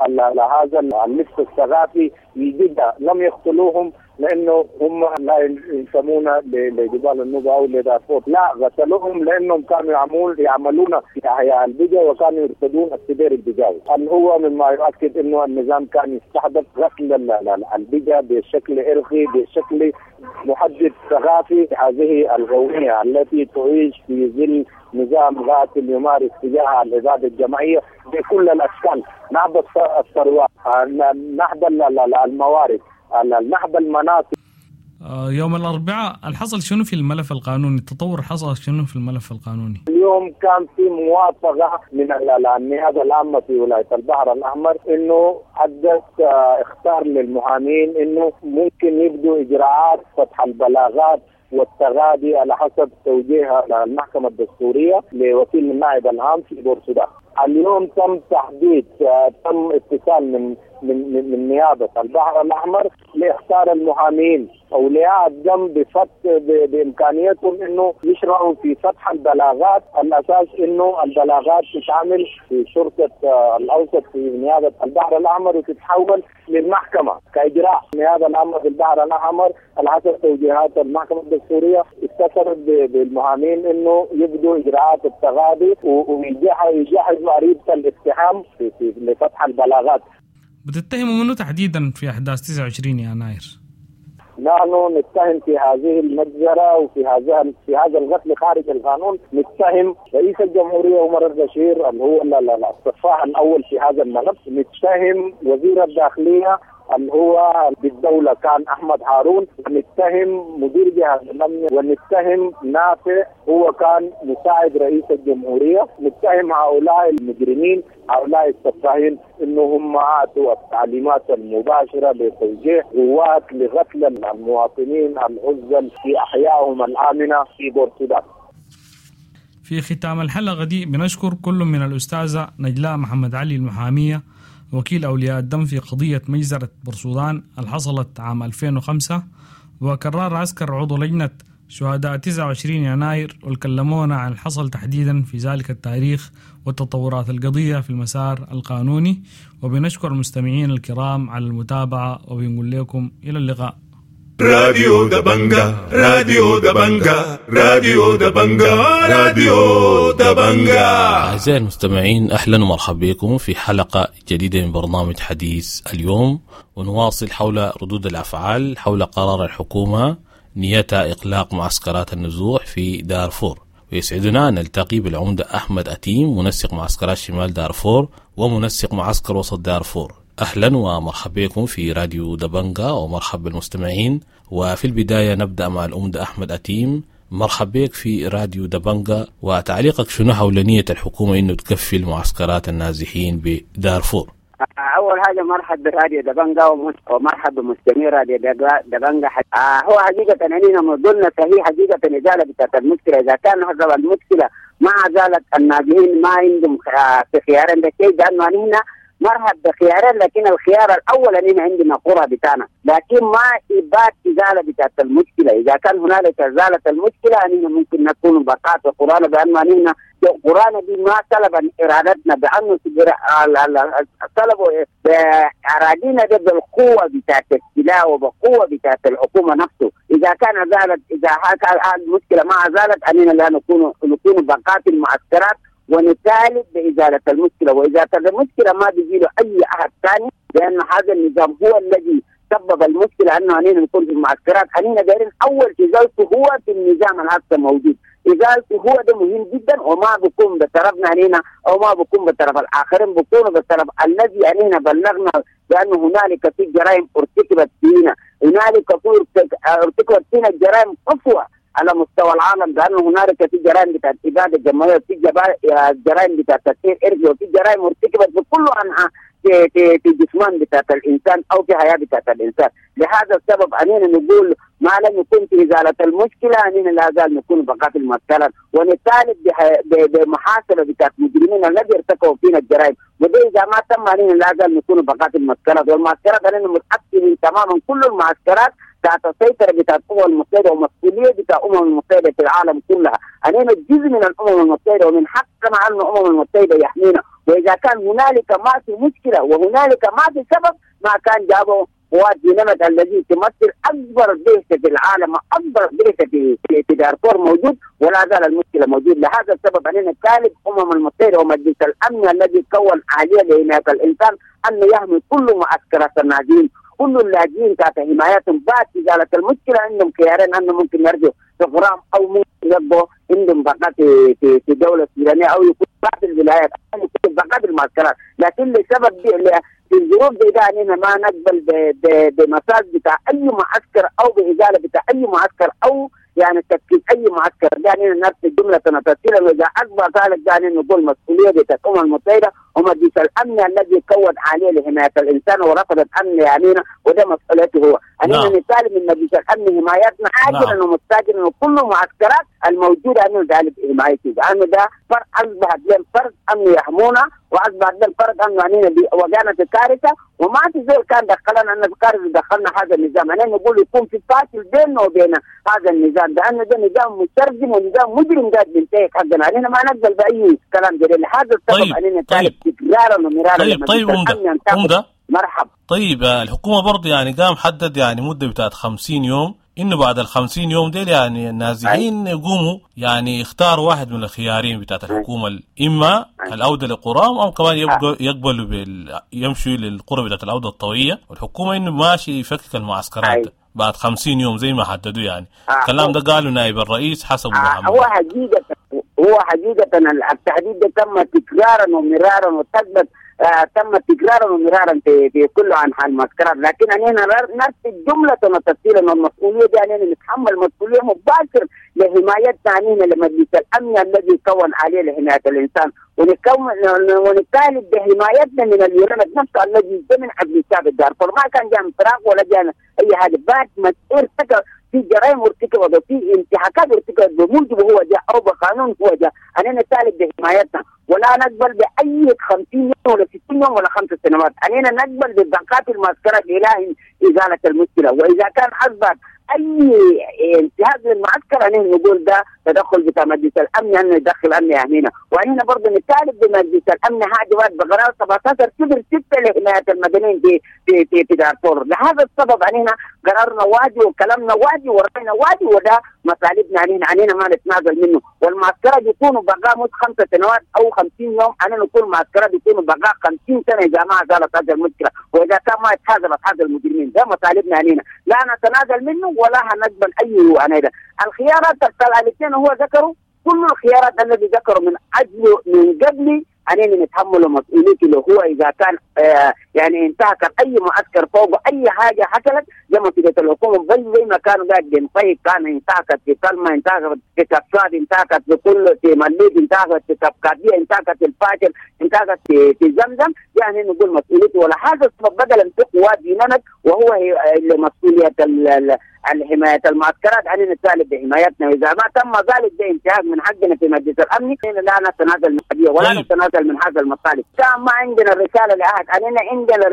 هذا اللبس الثقافي البدع. لم يقتلوهم لانه هم لا ينتمون لجبال النوبة او لدارفور، لا قتلوهم لانهم كانوا يعملون يعملون في احياء البجا وكانوا يرتدون السدير البجاوي، اللي هو مما يؤكد انه النظام كان يستهدف قتل البجا بشكل ارقي، بشكل محدد ثقافي. هذه الغوية التي تعيش في ظل نظام قاتل يمارس تجاه العبادة الجماعية بكل الاشكال، نهب الثروات، نهب الموارد، نهب المناطق. يوم الأربعاء الحصل شنو في الملف القانوني؟ التطور حصل شنو في الملف القانوني؟ اليوم كان في موافقة من النيابة العامة في ولاية البحر الأحمر إنه أدت اختار للمحامين إنه ممكن يبدوا إجراءات فتح البلاغات والتغاضي على حسب توجيه المحكمة الدستورية لوكيل النائب العام في بورسودان. اليوم تم تحديد، تم اتصال من من من نيابة البحر الأحمر لاختار المحامين أولياء الدم بفتح بإمكانيتهم إنه يشرعوا في فتح البلاغات، الأساس إنه البلاغات تتعمل في شرطة الأوسط في نيابة البحر الأحمر وتتحول للمحكمة كإجراء. النيابة العامة في البحر الأحمر على حسب توجيهات المحكمة الدستورية اتصلت بالمحامين إنه يبدوا إجراءات التغاضي ويجهزوا عريضة الاتهام في في لفتح البلاغات. بتتهموا منه تحديدا في أحداث تسعة وعشرين يناير؟ نحن نتهم في هذه المجزرة وفي هذا في هذا القتل خارج القانون، نتهم رئيس الجمهورية عمر البشير اللي هو السفاح الأول في هذا الملف، نتهم وزير الداخلية اللي هو بالدولة كان أحمد هارون، ونتهم مدير جهاز الأمن، ونتهم نافع هو كان مساعد رئيس الجمهورية. نتهم هؤلاء المجرمين هؤلاء السفاحين إنه هم أعطوا التعليمات المباشرة لتوجيه قوات لقتل المواطنين العزل في أحيائهم الآمنة في بورسودان. في ختام الحلقة دي بنشكر كل من الأستاذة نجلاء محمد علي المحامية وكيل أولياء الدم في قضية مجزرة بورسودان اللي حصلت عام ألفين وخمسة، وكرار عسكر عضو لجنة شهداء تسعة وعشرين يناير، وكلمونا عن الحصل تحديدا في ذلك التاريخ وتطورات القضية في المسار القانوني. وبنشكر المستمعين الكرام على المتابعة، وبنقول لكم إلى اللقاء. راديو دبنجا، راديو دبنجا، راديو دبنجا، راديو دبنجا. أعزائي المستمعين، أهلا ومرحبا بكم في حلقة جديدة من برنامج حديث اليوم، ونواصل حول ردود الأفعال حول قرار الحكومة نيتها إغلاق معسكرات النزوح في دارفور. ويسعدنا أن نلتقي بالعمدة أحمد أتيم، منسق معسكرات شمال دارفور ومنسق معسكر وسط دارفور. أهلا ومرحبا بكم في راديو دبنجا، ومرحبا بالمستمعين. وفي البداية نبدأ مع العمدة أحمد أتيم. مرحبا بك في راديو دبنجا، وتعليقك شنو حول نية الحكومة إنه تكفي المعسكرات النازحين بدارفور؟ أول حاجة مرحب براديو دبنجا ومرحب بمستمعي راديو دبنجا. هو حقيقة أننا موضوعنا صحيح حقيقة إزالة بتاعت المشكلة. إذا كان حسب المشكلة ما زالت النازحين ما عندهم في خيارين ده شيء، لأنه هنا مرحب بخيارين، لكن الخيار الأول أننا عندنا قرى بتاعنا، لكن ما إبات إزالة بتاعت المشكلة. إذا كان هنالك إزالة المشكلة أننا ممكن نكون بقاء في قرانا، بأنه أننا قرانا دي ما سلبا إرادتنا، بأنه سلبوا بأرادينا ده بالقوة بتاعت السلاح وبقوة بتاعت الحكومة نفسه. إذا كان زالت، إذا المشكلة ما زالت أننا لا نكون نكون بقاء في المعسكرات ونطالب بإزالة المشكلة. وإذا المشكلة ما بيجي له أي أحد ثاني، لأن هذا النظام هو الذي سبب المشكلة أنه أننا نكون في المعسكرات. أننا دايرين أول إزالته هو في النظام الهسه موجود، إزالته هو ده مهم جدا، وما بكون بطرفنا أننا أو ما بكون بطرف الآخرين، بكون بطرف الذي أننا بلغنا بأن هنالك في جرائم ارتكبت فينا، هنالك ارتكبت فينا جرائم قسوة على مستوى العالم، بأنه هنالك في جرائم بتاعت إبادة جماعية، وفي جرائم بتاعت تطهير إرثي، وفي جرائم ارتكبت بكل أنحاء في في في جسمان بتاعت الإنسان أو في حياة بتاعت الإنسان. لهذا السبب أننا نقول ما لم يكن في إزالة المشكلة أننا لا زال نكون بقاء في المعسكرات، ونطالب بمحاسبة بتاعت المجرمين الذي ارتكبوا فينا الجرائم، وده إذا ما تم أننا لا زال نكون بقاء في المعسكرات. والمعسكرات أننا متأكدين تماما كل المعسكرات تحت السيطرة بتاعت الأمم المتحدة ومسؤولية بتاع الأمم المتحدة في العالم كلها. أننا جزء من الأمم المتحدة، ومن حقنا على الأمم المتحدة يحمينا. وإذا كان هنالك ما في مشكلة وهنالك ما في سبب، ما كان جابوا قوات ديناميت الذي تمثل أكبر بعثة في العالم، أكبر بعثة في في دارفور موجود، ولا زال المشكلة موجود. لهذا السبب أننا نطالب الأمم المتحدة ومجلس الأمن الذي كون آلية لحماية الإنسان أنه يحمي كل معسكرات النازحين، كل اللاجئين تحت حمايتهم. بعد إزالة المشكلة عندهم خيارين، أنه ممكن يرجعوا في غرام أو ممكن يبقوا عندهم بقاء في في في دولة السودانية، أو يكون بعض الولايات أو يكون بقاء المعسكرات. لكن لسبب في الظروف دي ده أننا ما نقبل بمساج بتاع أي معسكر أو بإزالة بتاع أي معسكر أو يعني تفكيك أي معسكر. ده أننا نفس الجملة تنفصيلا، وإذا أكبر ذلك ده أننا نقول مسؤولية بتاع الأمم المتحدة ومجلس الأمن الذي كون عليه لحماية الإنسان ورفض الأمن يعنينا، وده مسؤوليته هو. أننا نعم. نطالب من مجلس الأمن حمايتنا عاجلا نعم. ومستعجلا، وكل المعسكرات الموجودة أنه ذلك حمايته، لأنه ده فرق أصبحت لهم فرق أنه يحمونا، وأصبحت لهم فرق أنه أننا وجانا في كارثة، وما في زول كان دخلنا أن في كارثة دخلنا هذا النظام. أنا نقول يكون في فاصل بيننا وبين هذا النظام، لأنه ده نظام مترجم ونظام مجرم قاعد بينتهك حقنا. أننا ما نقبل بأي كلام جديد. لهذا السبب طيب. أننا نطالب طيب. تكرارا ومرارا. طيب طيب عمدة عمدة مرحب. طيب الحكومة برضه يعني قام حدد يعني مدة بتاعت خمسين يوم، إنه بعد الخمسين يوم ديل يعني النازحين يقوموا يعني يختاروا واحد من الخيارين بتاعت الحكومة، إما العودة لقرام أو كمان يبقوا يقبلوا بال يمشوا للقرى بتاعت العودة الطوعية. والحكومة إنه ماشي يفكك المعسكرات بعد خمسين يوم زي ما حددوا. يعني الكلام ده قالوا نائب الرئيس حسب محمد. هو حقيقة هو حقيقة التحديد ده تم تكرارا ومرارا وتثبت آه تم تكرارا ومرارا في في كل انحاء المعسكرات، لكن اننا نفس الجملة وتفصيلا والمسؤولية دي اننا نتحمل مسؤولية مباشر لحمايتنا اننا لمجلس الامن الذي كون عليه لحماية الانسان، ونكون ونطالب بحمايتنا من اليورانيوم نفسه الذي من قبل الشعب الدارفور. ما كان جاء من فراغ ولا جاء اي حاجة، بعد ما ارتكب في جرائم ارتكبت وفي انتهاكات ارتكبت بموجب هو جاء او بقانون هو جاء، اننا نطالب بحمايتنا ولا نقبل باي خمسين يوم ولا ستين يوم ولا خمس سنوات، اننا نقبل ببقاء المعسكرات الى ازالة المشكلة. واذا كان اصبح اي انتهاك للمعسكر انه نقول ده تدخل بتاع مجلس الامن انه يدخل امن يحمينا. واننا برضه نطالب بمجلس الامن حاجة واحد بقرار سبعتاشر صفر ستة لحماية المدنيين في في في, في دارفور. لهذا السبب اننا قرارنا واجي وكلامنا واجي ورأينا واجي، وده مطالبنا علينا علينا ما نتنازل منه. والمعسكرات يكونوا بقاء مش خمسة سنوات او خمسين يوم، انا نقول معسكرات يكونوا بقاء خمسين سنة اذا ما زالت هذه المشكلة، واذا كان ما يتحاسب اصحاب المجرمين. ده مطالبنا علينا، لا نتنازل منه ولا هنقبل اي عناية. الخيارات الاثنين هو ذكروا كل الخيارات الذي ذكروا من اجل من قبل علينا نتحمل مسؤوليته اللي هو اذا كان آه يعني انتهك اي معسكر فوق اي حاجة حصلت زي ما مسؤولية الحكومة، زي زي ما كانوا قاعد طيب كان انتهكت في كلمة، انتهكت في كفاد، انتهكت في كل في مليد، انتهكت في كفكاديه، انتهكت في الفاجر، انتهكت في, في زمزم، يعني نقول مسؤوليته. ولا هذا السبب بدلا في قوات دينامت وهو اللي مسؤولية حماية المعسكرات علينا نطالب بحمايتنا، وإذا ما تم ذلك ده انتهاك من حقنا في مجلس الأمن، لا نتنازل من القضية ولا نتنازل من هذا المطالب. كان ما عندنا رسالة لأحد، علينا عندنا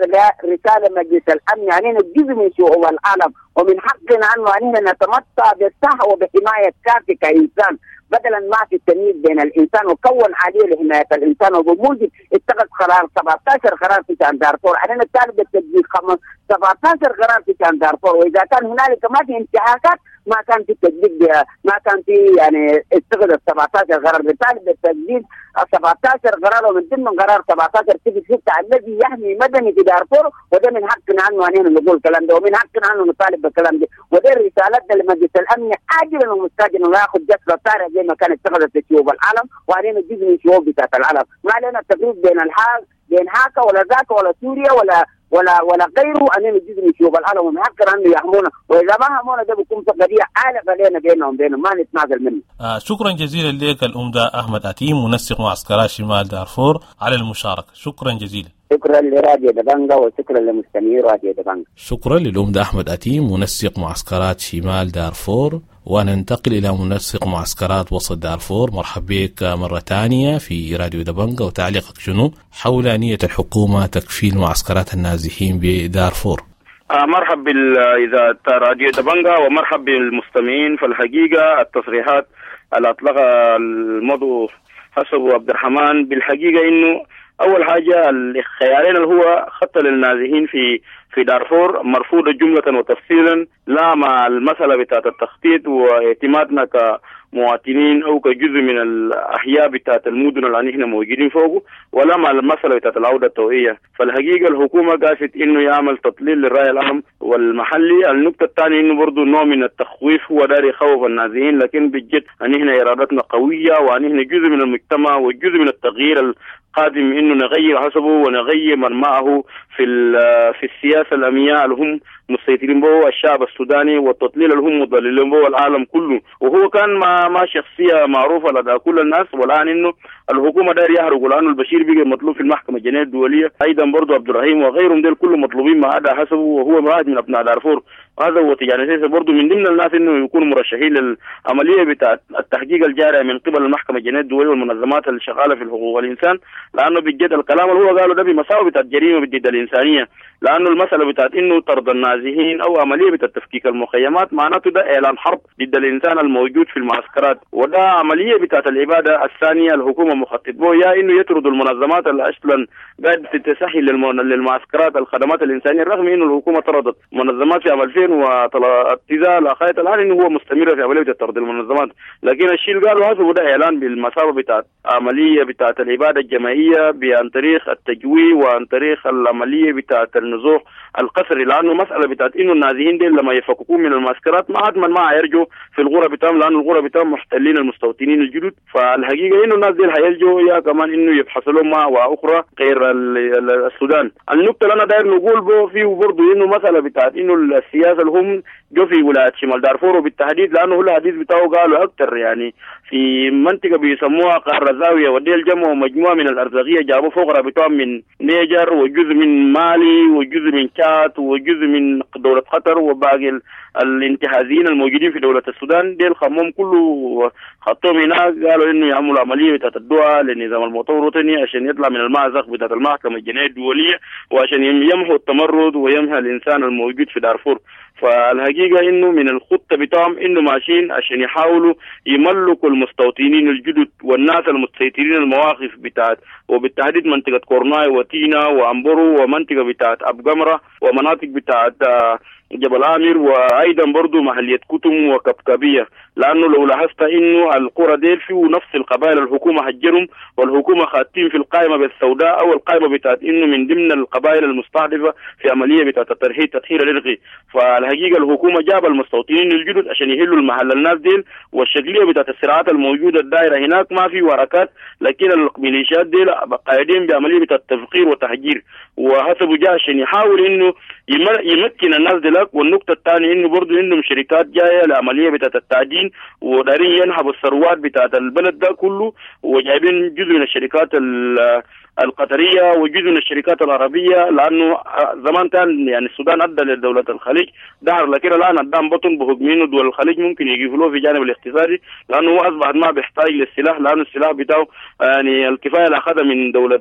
رسالة مجلس الأمن، علينا جزء من شعوب العالم، ومن حقنا أنه علينا نتمتع بالصحة وبحماية كافية كإنسان، بدلا ما في التمييز بين الانسان وكون عالية لحماية الانسان. وبموجب اتخذ قرار سبعتاشر قرار في شان دارفور، علينا نطالب بالتطبيق سبعتاشر قرار في شان دارفور. واذا كان هنالك ما في انتهاكات ما كان في تطبيق، ما كان في يعني اتخذ سبعتاشر قرار، بالتالي بالتطبيق سبعتاشر قرار، ومن ضمن قرار سبعتاشر صفر ستة الذي يحمي مدني في دارفور. وده من حقنا عنه اننا نقول الكلام ده، ومن حقنا عنه نطالب بالكلام ده، وده رسالتنا لمجلس الامن عاجلا ومستعجلا، ولا ياخذ جسر طارئ زي ما كانت اتخذت في شعوب العالم، وعلينا جزء من شعوب بتاعت العالم. ما علينا التفريق بين الحال بين هاكا ولا ذاك ولا سوريا ولا ولا ولا غيره، اننا جزء من شعوب العالم، ومن حقنا انه يحمونا، واذا ما همونا ده بيكون في قضية عالقة لنا بينهم بينهم ما نتنازل منه. آه شكرا جزيلا لك الأمدة أحمد أتيم منسق معسكرات شمال دارفور على المشاركة، شكرا جزيلا. شكرا لراديو دبنجا وشكرا لمستمعي راديو دبنجا. شكرا للأمدة أحمد أتيم منسق معسكرات شمال دارفور. وننتقل إلى منسق معسكرات وسط دارفور. مرحبا بك مرة ثانية في راديو دبنجا، وتعليقك شنو حول نية الحكومة تكفيل معسكرات النازحين بدارفور؟ آه مرحب بالإذاعة راديو دبنجا ومرحب بالمستمعين. فالحقيقة التصريحات اللي أطلقها المضو حسب عبد الرحمن بالحقيقة إنه أول حاجة الخيارين اللي هو خطة للنازحين في في دارفور مرفوضة جملة وتفصيلا، لا مع المسألة بتاعت التخطيط واعتمادنا كمواطنين أو كجزء من الأحياء بتاعت المدن اللي احنا موجودين فوقه، ولا مع المسألة بتاعت العودة الطوعية. فالحقيقة الحكومة قاست إنه يعمل تطليل للرأي العام والمحلي. النقطة الثانية إنه برضو نوع من التخويف، هو داري يخوف النازحين، لكن بالجد أن احنا إرادتنا قوية وأن احنا جزء من المجتمع وجزء من التغيير القادم، إنه نغير حسبه ونغير من معه في في السياسة الأمنية اللي هم مسيطرين به الشعب السوداني، والتضليل اللي هم مضللين به العالم كله. وهو كان ما ما شخصية معروفة لدى كل الناس، والآن إنه الحكومة داير يهرب، لأنه البشير بقى مطلوب في المحكمة الجنائية الدولية، أيضا برضه عبد الرحيم وغيرهم ديل كلهم مطلوبين ما عدا حسبه، وهو واحد من أبناء دارفور. هذا هو تجاني سيسي برضه من ضمن الناس إنه يكونوا مرشحين للعملية بتاع التحقيق الجاري من قبل المحكمة الجنائية الدولية والمنظمات اللي شغالة في حقوق الإنسان، لأنه بجد الكلام اللي هو قاله ده بمساوي بتاع الجريمة ضد الإنسانية. لأنه المسألة بتاعت إنه طرد النازحين أو عملية بتاعت تفكيك المخيمات معناته ده إعلان حرب ضد الإنسان الموجود في المعسكرات، وده عملية بتاعت الإبادة الثانية الحكومة مخطط به، يا إنه يطردوا المنظمات اللي أصلا قاعدة تسهل للمعسكرات الخدمات الإنسانية، رغم إنه الحكومة طردت منظمات في عام ألفين وتسعة لغاية الآن إنه هو مستمر في عملية طرد المنظمات. لكن الشيء اللي قالوا هذا وده إعلان بالمسافة بتاعت عملية بتاعت الإبادة الجماعية عن طريق التجويع وعن طريق العملية بتاعت النزوح القسري، لأنه مسألة بتاعت إنه النازحين دي لما يفككون من المعسكرات ما عاد ما يرجوا في الغرة بتاعهم، لأنه الغرة بتاعهم محتلين المستوطنين الجدد. فالحقيقة إنه الناس دي هيلجوا يا كمان إنه يبحثوا لهم مأوى أخرى غير السودان. النقطة اللي أنا داير نقول به فيه برضه إنه مسألة بتاعت إنه السياسة اللي هم جو في ولاية شمال دارفور وبالتحديد، لأنه هو الحديث بتاعه قالوا أكثر يعني في منطقة بيسموها قارة زاوية، ودي الجمع مجموعة من الأرزاقية جابوا فوق بتاعهم من نيجر وجزء من مالي وجزء من تشاد وجزء من دولة قطر وباقي الانتهازيين الموجودين في دولة السودان. ديل خمهم كله خطوهم هناك، قالوا إنه يعملوا عملية بتاعت الدعاء للنظام المؤتمر الوطني عشان يطلع من المأزق بتاعت المحكمة الجنائية الدولية، وعشان يمحوا التمرد ويمحى الإنسان الموجود في دارفور. فالحقيقة إنه من الخطة بتاعهم إنه ماشيين عشان يحاولوا يملكوا المستوطنين الجدد والناس المسيطرين المواقف بتاعت، وبالتحديد منطقة كورناي وتينا وأمبرو ومنطقة بتاعت أبقمرة ومناطق بتاعت جبل آمر، وأيضا برضو محلية كتم وكبكبية. لأنه لو لاحظت إنه القرى ديل فيه نفس القبائل الحكومة هجرهم، والحكومة خاتين في القائمة بالسوداء أو القائمة بتاعت إنه من ضمن القبائل المستهدفة في عملية بتاعت الترحيل تطهير الإرقي. فالحقيقة الحكومة جاب المستوطنين الجدد عشان يهلوا المحل الناس ديل، والشكلية بتاعت الصراعات الموجودة الدائرة هناك ما في وركات، لكن الميليشيات ديل قاعدين بعملية بتاعت تفقير وتهجير، وحسبوا جاء عشان يحاول إنه يمكن الناس ديل. والنقطة الثانية إنه برضو إنهم شركات جاية لعملية بتاعت التعدين ودارين ينهبوا الثروات بتاعت البلد ده كله، وجايبين جزء من الشركات القطرية وجزء من الشركات العربية، لأنه زمان كان يعني السودان أدى لدولة الخليج دهر، لكن الآن قدام بطن بحكم إنه دول الخليج ممكن يقفلوه في جانب الاقتصادي، لأنه هو أصبح ما بيحتاج للسلاح، لأنه السلاح بتاعه يعني الكفاية اللي أخذها من دولة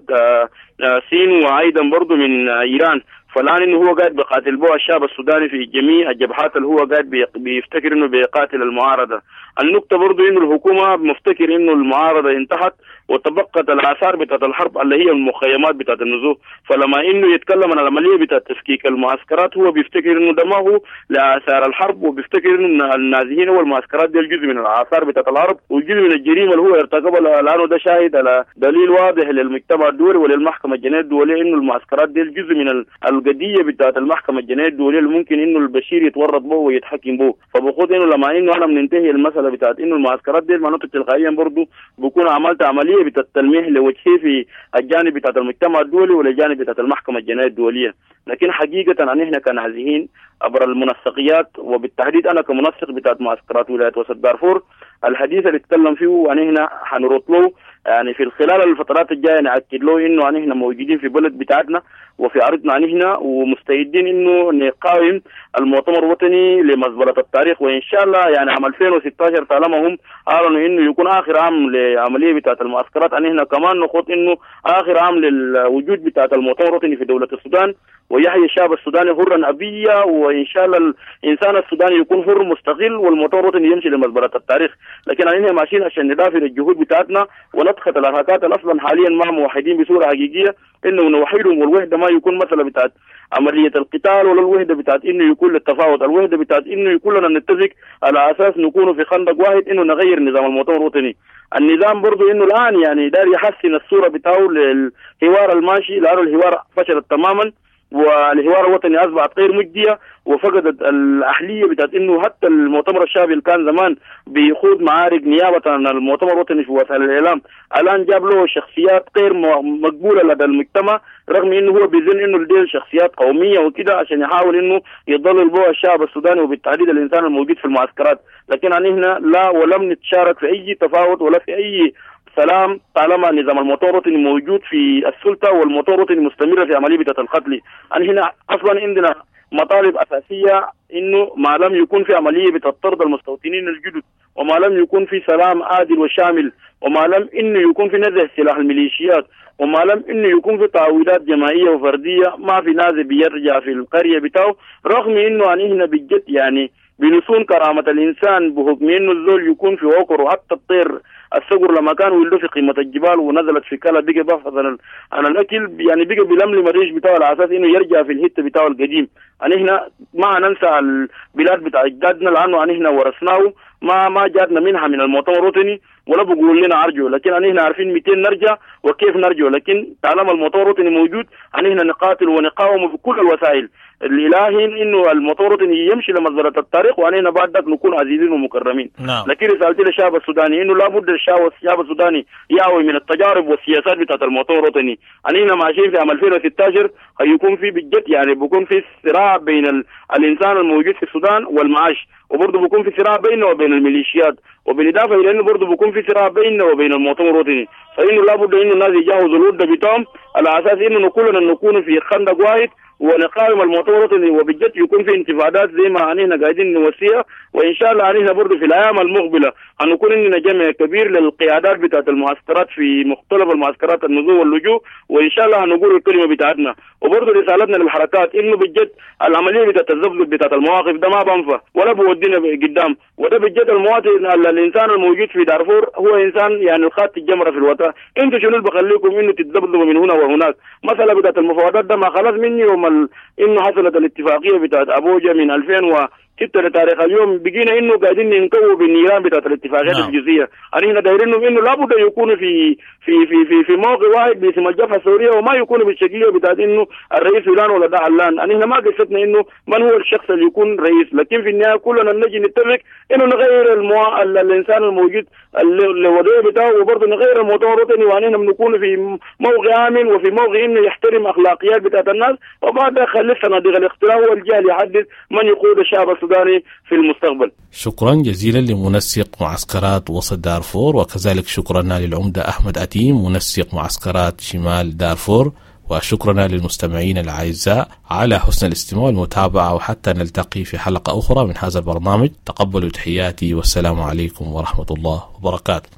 الصين وأيضا برضو من إيران. فالآن إنه هو قاعد بيقاتل به الشعب السوداني في جميع الجبهات اللي هو قاعد بيفتكر إنه بيقاتل المعارضة. النقطة برضو إنه الحكومة مفتكر إنه المعارضة انتهت وتبقت الآثار بتاعت الحرب اللي هي المخيمات بتاعت النزوح، فلما إنه يتكلم عن العملية بتاعت تفكيك المعسكرات هو بيفتكر إنه ده ما هو لآثار الحرب، وبيفتكر إنه النازحين والمعسكرات دي الجزء من الآثار بتاعت الحرب وجزء من الجريمة اللي هو ارتكبها، لأنه ده شاهد على دليل واضح للمجتمع الدولي وللمحكمة الجنائية الدولية إنه المعسكرات دي الجزء من القضية بتاعت المحكمة الجنائية الدولية اللي ممكن إنه البشير يتورط به ويتحكم به. فبقول إنه لما إنه أنا بننتهي المسألة بتاعت إنه المعسكرات دي معناته تلقائيا برضه بكون عملت عملية بتاعت التلميح لوجهه في الجانب بتاعت المجتمع الدولي والجانب بتاعت المحكمة الجنائية الدولية. لكن حقيقة أن إحنا كنازحين عبر المنسقيات، وبالتحديد أنا كمنسق بتاعت معسكرات ولاية وسط دارفور، الحديث اللي اتكلم فيه وأن إحنا حنرد له يعني في خلال الفترات الجاية نأكد له إنه أن إحنا موجودين في بلد بتاعتنا وفي أرضنا أن إحنا ومستعدين إنه نقاوم المؤتمر الوطني لمزبلة التاريخ، وإن شاء الله يعني عام ألفين وستة عشر طالما هم أعلنوا إنه يكون آخر عام لعملية بتاعت المعسكرات، أن إحنا كمان نخوض إنه آخر عام للوجود بتاعت المؤتمر الوطني في دولة السودان، ويحيي الشعب السوداني حرا أبيا، وإن شاء الله الإنسان السوداني يكون حر مستقل والمؤتمر الوطني يمشي لمزبلة التاريخ. لكن إحنا ماشيين عشان ندافع الجهود بتاعتنا ونضغط الحركات أصلا حاليا ما موحدين بصورة حقيقية، إنه نوحدهم، والوحدة ما يكون مثلا بتاعت عملية القتال ولا الوحدة بتاعت إنه يكون للتفاوض، الوحدة بتاعت إنه يكون لنا نتفق على أساس نكون في خندق واحد إنه نغير نظام المؤتمر الوطني. النظام برضو إنه الآن يعني دار يحسن الصورة بتاعه للحوار الماشي، لأنه الحوار فشلت تماما والحوار الوطني أصبحت غير مجدية وفقدت الأهلية بتاعت إنه حتى المؤتمر الشعبي اللي كان زمان بيخوض معارك نيابة عن المؤتمر الوطني في وسائل الإعلام، الآن جاب له شخصيات غير مقبولة لدى المجتمع، رغم إنه هو بيظن إنه دي شخصيات قومية وكده عشان يحاول إنه يضلل بها الشعب السوداني وبالتحديد الإنسان الموجود في المعسكرات. لكن عن هنا لا ولم نتشارك في أي تفاوض ولا في أي سلام طالما نظام المؤتمر الوطني موجود في السلطة والمؤتمر الوطني مستمرة في عملية القتل. أن هنا أصلا عندنا مطالب أساسية إنه ما لم يكون في عملية بتطرد المستوطنين الجدد، وما لم يكون في سلام عادل وشامل، وما لم إنه يكون في نزع سلاح الميليشيات، وما لم إنه يكون في تعويضات جماعية وفردية، ما في نازل بيرجع في القرية بتاعه، رغم إنه أن هنا بجد يعني بنصون كرامة الإنسان بحكم إنه الزول يكون في عقره، حتى الطير الصقر لما كان ولده في قمة الجبال ونزلت في كلا بقى بحث عن عن الأكل، يعني بقى بلملم الريش بتاعه على أساس إنه يرجع في الهتة بتاعه القديم. أن إحنا ما ننسى البلاد بتاع أجدادنا لأنه أن إحنا ورثناه، ما ما جاتنا منها من المؤتمر الوطني ولا بقول لنا أرجو، لكن أن إحنا عارفين مئتين نرجع وكيف نرجع، لكن طالما المؤتمر الوطني موجود أن إحنا نقاتل ونقاوم بكل الوسائل الإلهي إنه المؤتمر الوطني يمشي لمزبلة التاريخ، وأن بعد ذلك نكون عزيزين ومكرمين. نعم. لكن رسالتي للشعب السوداني إنه لابد الشعب السوداني يعوي من التجارب والسياسات بتاعت المؤتمر الوطني. أن إحنا ماشيين في عام ألفين وستة عشر هيكون في بجد يعني بيكون في صراع بين ال... الإنسان الموجود في السودان والمعاش، وبرضه بيكون في صراع بينه وبين الميليشيات، وبالإضافة إلى إنه برضه بيكون في صراع بينه وبين المؤتمر الوطني. فإنه لابد إنه الناس يجهزوا الودة بتاعهم على أساس إنه كلنا نكون في خندق واحد ونقاوم المؤتمر الوطني، وبجد يكون في انتفاضات زي ما نحن قاعدين نوصيها. وان شاء الله نحن برضه في الايام المقبلة هنكون عندنا جمع كبير للقيادات بتاعت المعسكرات في مختلف المعسكرات النزول واللجوء، وان شاء الله هنقول الكلمة بتاعتنا. وبرضه رسالتنا للحركات انه بجد العملية بتاعت الزبزب بتاعت المواقف ده ما بنفع ولا بودينا قدام، وده بجد المواطن الانسان الموجود في دارفور هو انسان يعني الخات الجمرة في الوطن. انتوا شنو اللي بخليكم انه تتذبذبوا من هنا وهناك؟ مثلا بتاعت المفاوضات ده ما خلاص من يوم ال... انه حصلت الاتفاقية بتاعت ابوجا من ألفين وستة لتاريخ اليوم بقينا انه قاعدين ننكووا بالنيران بتاعت الاتفاقيات نعم. الجزئية. احنا دايرينهم انه لابد يكونوا في في في في في موقع واحد باسم الجبهة الثورية، وما يكونوا بالشكليه بتاعت انه الرئيس فلان ولا ده علان. احنا ما قصتنا انه من هو الشخص اللي يكون رئيس، لكن في النهاية كلنا نجي نتفق انه نغير المو... الانسان الموجود الوضعية بتاعه، وبرضه نغير المؤتمر الوطني، واننا بنكون في موقع امن وفي موقع انه يحترم اخلاقيات بتاعت الناس، وبعد خلي صناديق الاقتراع هو الجهة اللي يحدد من يقود الشعب السوداني في المستقبل. شكرا جزيلا لمنسق معسكرات وسط دارفور، وكذلك شكرا للعمدة أحمد أتيم منسق معسكرات شمال دارفور، وشكرنا للمستمعين الأعزاء على حسن الاستماع والمتابعة، وحتى نلتقي في حلقة أخرى من هذا البرنامج. تقبلوا تحياتي والسلام عليكم ورحمة الله وبركاته.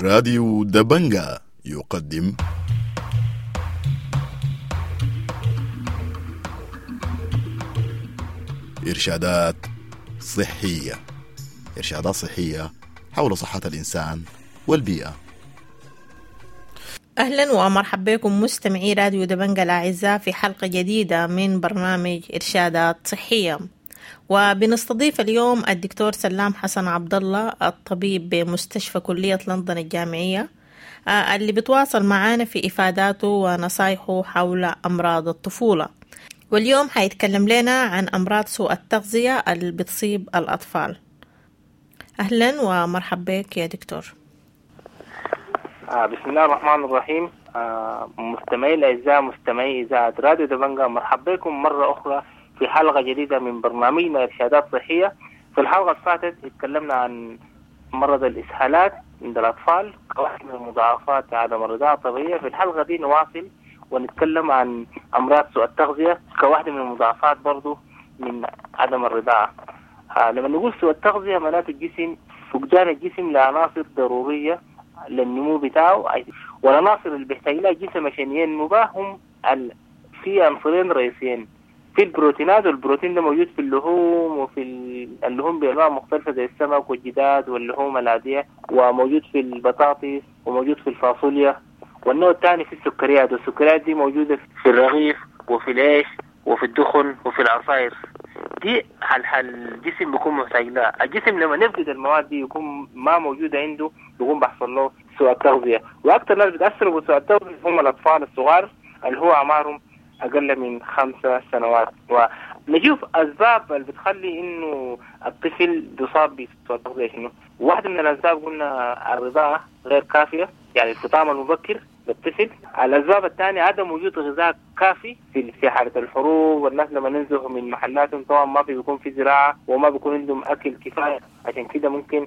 راديو دبنجا يقدم إرشادات صحية، إرشادات صحية حول صحة الإنسان والبيئة. أهلا ومرحبا بكم مستمعي راديو دبنجا الأعزاء في حلقة جديدة من برنامج إرشادات صحية، وبنستضيف اليوم الدكتور سلام حسن عبد الله الطبيب بمستشفى كلية لندن الجامعية، اللي بتواصل معانا في إفاداته ونصايحه حول أمراض الطفولة. واليوم حيتكلم لنا عن أمراض سوء التغذية اللي بتصيب الأطفال. أهلا ومرحبا بك يا دكتور. آه بسم الله الرحمن الرحيم. آه مستمعي الأعزاء مستمعي إذاعة راديو دبنجا، مرحبا بكم مرة أخرى في حلقة جديدة من برنامجنا إرشادات صحية. في الحلقة اللي فاتت اتكلمنا عن مرض الإسهالات عند الأطفال كواحد من المضاعفات عدم الرضاعة الطبيعية. في الحلقة دي نواصل ونتكلم عن أمراض سوء التغذية كواحدة من المضاعفات برضو من عدم الرضاعة. آه لما نقول سوء التغذية معناته الجسم فقدان الجسم لعناصر ضرورية للنمو بتاعه، والعناصر اللي بيحتاج لها الجسم عشان ينمو بها هم ال... في عنصرين رئيسيين، في البروتينات، والبروتين ده موجود في اللحوم وفي اللحوم بأنواع مختلفة زي السمك والجداد واللحوم العادية، وموجود في البطاطس وموجود في الفاصوليا. والنوع الثاني في السكريات، والسكريات دي موجودة في الرغيف وفي العيش وفي الدخن وفي العصائر. دي حل حل الجسم بيكون محتاج لها. الجسم لما نفقد المواد دي يكون ما موجودة عنده، بيكون بيحصل له سوء التغذية. وأكثر ناس بيتأثروا بسوء التغذية هم الأطفال الصغار اللي هو أعمارهم أقل من خمسة سنوات. ونشوف أسباب اللي بتخلي إنه الطفل بيصاب بسوء التغذية شنو. واحدة من الأسباب قلنا الرضاعة غير كافية، يعني الفطام المبكر للطفل. الأسباب الثانية عدم وجود غذاء كافي في في حالة الحروب، والناس لما ننزحوا من محلاتهم طبعا ما بيكون في زراعة وما بيكون عندهم أكل كفاية، عشان كده ممكن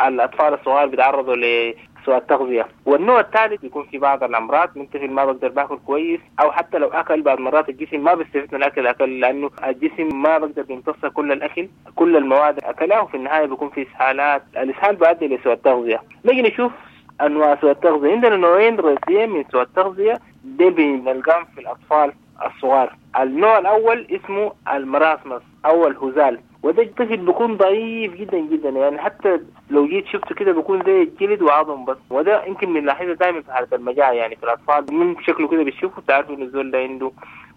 الأطفال الصغار بيتعرضوا لسوء التغذية. والنوع الثالث بيكون في بعض الأمراض، من طفل ما بقدر باكل كويس، أو حتى لو أكل بعض مرات الجسم ما بيستفيد من الأكل أكل، لأنه الجسم ما بقدر بيمتص كل الأكل كل المواد أكلها، وفي النهاية بيكون في إسهالات. الإسهال بيؤدي لسوء التغذية. نيجي نشوف أنواع سوء التغذية. عندنا نوعين رئيسيين من سوء التغذية دي بنلقاهم في الأطفال الصغار. النوع الأول اسمه المراسمس أو الهزال، وده الطفل بيكون ضعيف جدا جدا، يعني حتى لو جيت شفته كده بيكون زي الجلد وعظم بس. وده يمكن بنلاحظه دائما في حالة المجاعة، يعني في الأطفال من شكله كده بتشوفه تعرفوا إن الزول ده عنده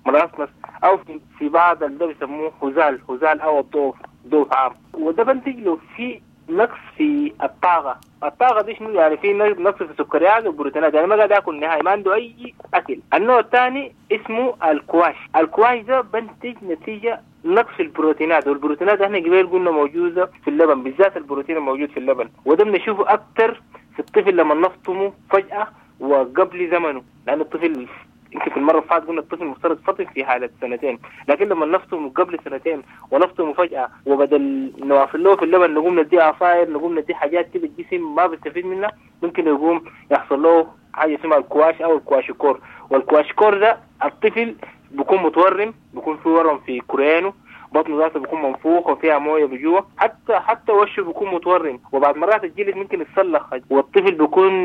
مراسمس، أو في بعض اللي بيسموه هزال، هزال أو الضعف، ضعف عام. وده بنتج له في نقص في الطاقة. الطاقة دي شنو؟ يعني في نقص في السكريات والبروتينات، يعني ما قاعد ياكل نهائي، ما عنده أي أكل. النوع الثاني اسمه الكواش. الكواش ده بنتج نتيجة نقص البروتينات، والبروتينات احنا قبل قلنا موجودة في اللبن، بالذات البروتين الموجود في اللبن، وده بنشوفه أكتر في الطفل لما نفطمه فجأة وقبل زمنه، لأن الطفل يمكن في المرة اللي فاتت قلنا الطفل المفترض فطم في حالة سنتين، لكن لما نفطمه قبل سنتين ونفطمه فجأة، وبدل نواصل له في اللبن نقوم نديه عصاير، نقوم نديه حاجات كده الجسم ما بيستفيد منها، ممكن يقوم يحصل له حاجة اسمها الكواش او الكواشيكور. والكواشيكور ده الطفل بيكون متورم، بيكون في ورم في كرينه، بطنه ذاته بيكون منفوخ وفيها مويه بجوا، حتى حتى وشه بيكون متورم، وبعد مرات الجلد ممكن يتسلخ، والطفل بيكون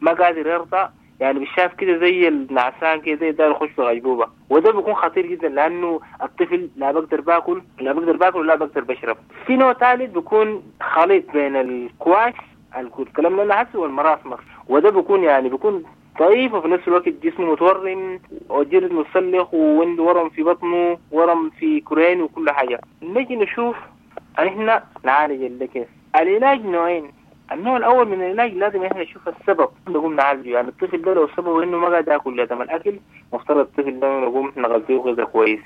ما قادر يرضع، يعني بيشاف كده زي النعسان كده زي ده يخش في غيبوبة، وده بيكون خطير جدا لانه الطفل لا بقدر باكل لا بقدر باكل ولا بقدر بشرب. في نوع ثالث بيكون خليط بين الكواش الكلام اللي انا حاسه وال marasmus، وده بيكون يعني بيكون ضعيف وفي نفس الوقت جسمه متورم وجلد متسلخ وعنده ورم في بطنه ورم في كرين وكل حاجة. نجي نشوف احنا نعالج ده كيف. العلاج نوعين، النوع الاول من العلاج لازم احنا نشوف السبب نقوم نعالجه، يعني الطفل ده لو سببه انه ما قاعد ياكل لازم الاكل، مفترض الطفل ده نقوم نغذيه غذاء كويس.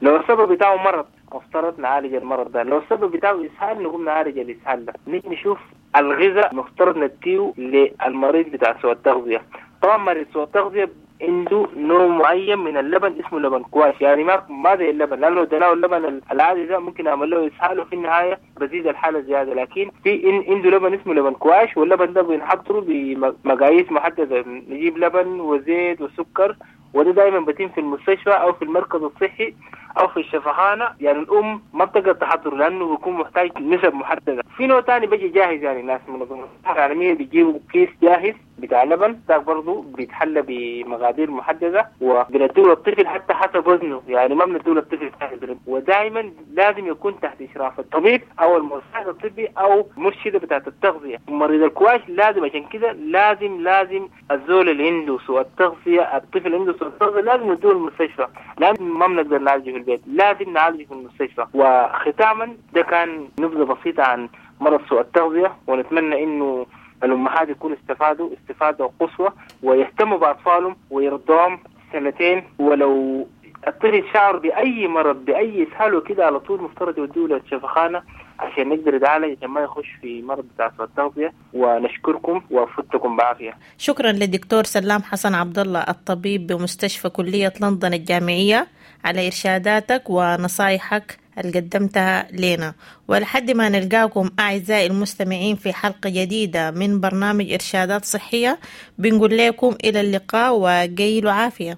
لو السبب بتاعه مرض مفترض نعالج المرض ده، لو السبب بتاعه اسهال نقوم نعالج الاسهال ده. نيجي نشوف الغذاء مفترض نديه للمريض بتاع سوء التغذية. طبعا مريض سوء التغذية عنده نوع معين من اللبن اسمه لبن كواش، يعني ما ما زي اللبن، لانه لو اديناه اللبن العادي ده ممكن اعمل له اسهال وفي النهاية بزيد الحالة زيادة، لكن في إن عنده لبن اسمه لبن كواش، واللبن ده بنحضره بمقاييس محددة، نجيب لبن وزيت وسكر، وده دائما بتم في المستشفى او في المركز الصحي او في الشفخانه، يعني الام ما بتقدر تحضره لانه بيكون محتاج نسب محددة. في نوع ثاني بيجي جاهز، يعني ناس منظمة الصحة العالمية بيجيبوا كيس جاهز بتاع لبن، ده برضه بيتحلى بمقادير محددة وبنديه للطفل حتى حسب وزنه، يعني ما بنديه للطفل جاهز، ودائما لازم يكون تحت اشراف الطبيب او المساعد الطبي او مرشده بتاعه التغذية. مريض الكواش لازم، عشان كده لازم لازم الزول اللي عنده سوء التغذية، الطفل اللي عنده سوء التغذية لازم نديه المستشفى، لازم ما بنقدر نعالجه في البيت، لازم نعالجه في المستشفى. وختاما ده كان نبذه بسيطة عن مرض سوء التغذية، ونتمنى انه الأمهات يكونوا استفادوا استفادة قصوى ويهتموا بأطفالهم ويرضوهم سنتين، ولو الطفل شعر بأي مرض بأي إسهال وكده على طول مفترض يودوه للشفخانة عشان نقدر نتعالج، عشان ما يخش في مرض بتاع سوء التغذية. ونشكركم وفتكم بعافية. شكرا للدكتور سلام حسن عبد الله الطبيب بمستشفى كلية لندن الجامعية على إرشاداتك ونصايحك اللي قدمتها لنا، ولحد ما نلقاكم أعزائي المستمعين في حلقة جديدة من برنامج إرشادات صحية بنقول لكم إلى اللقاء وقيلوا عافية.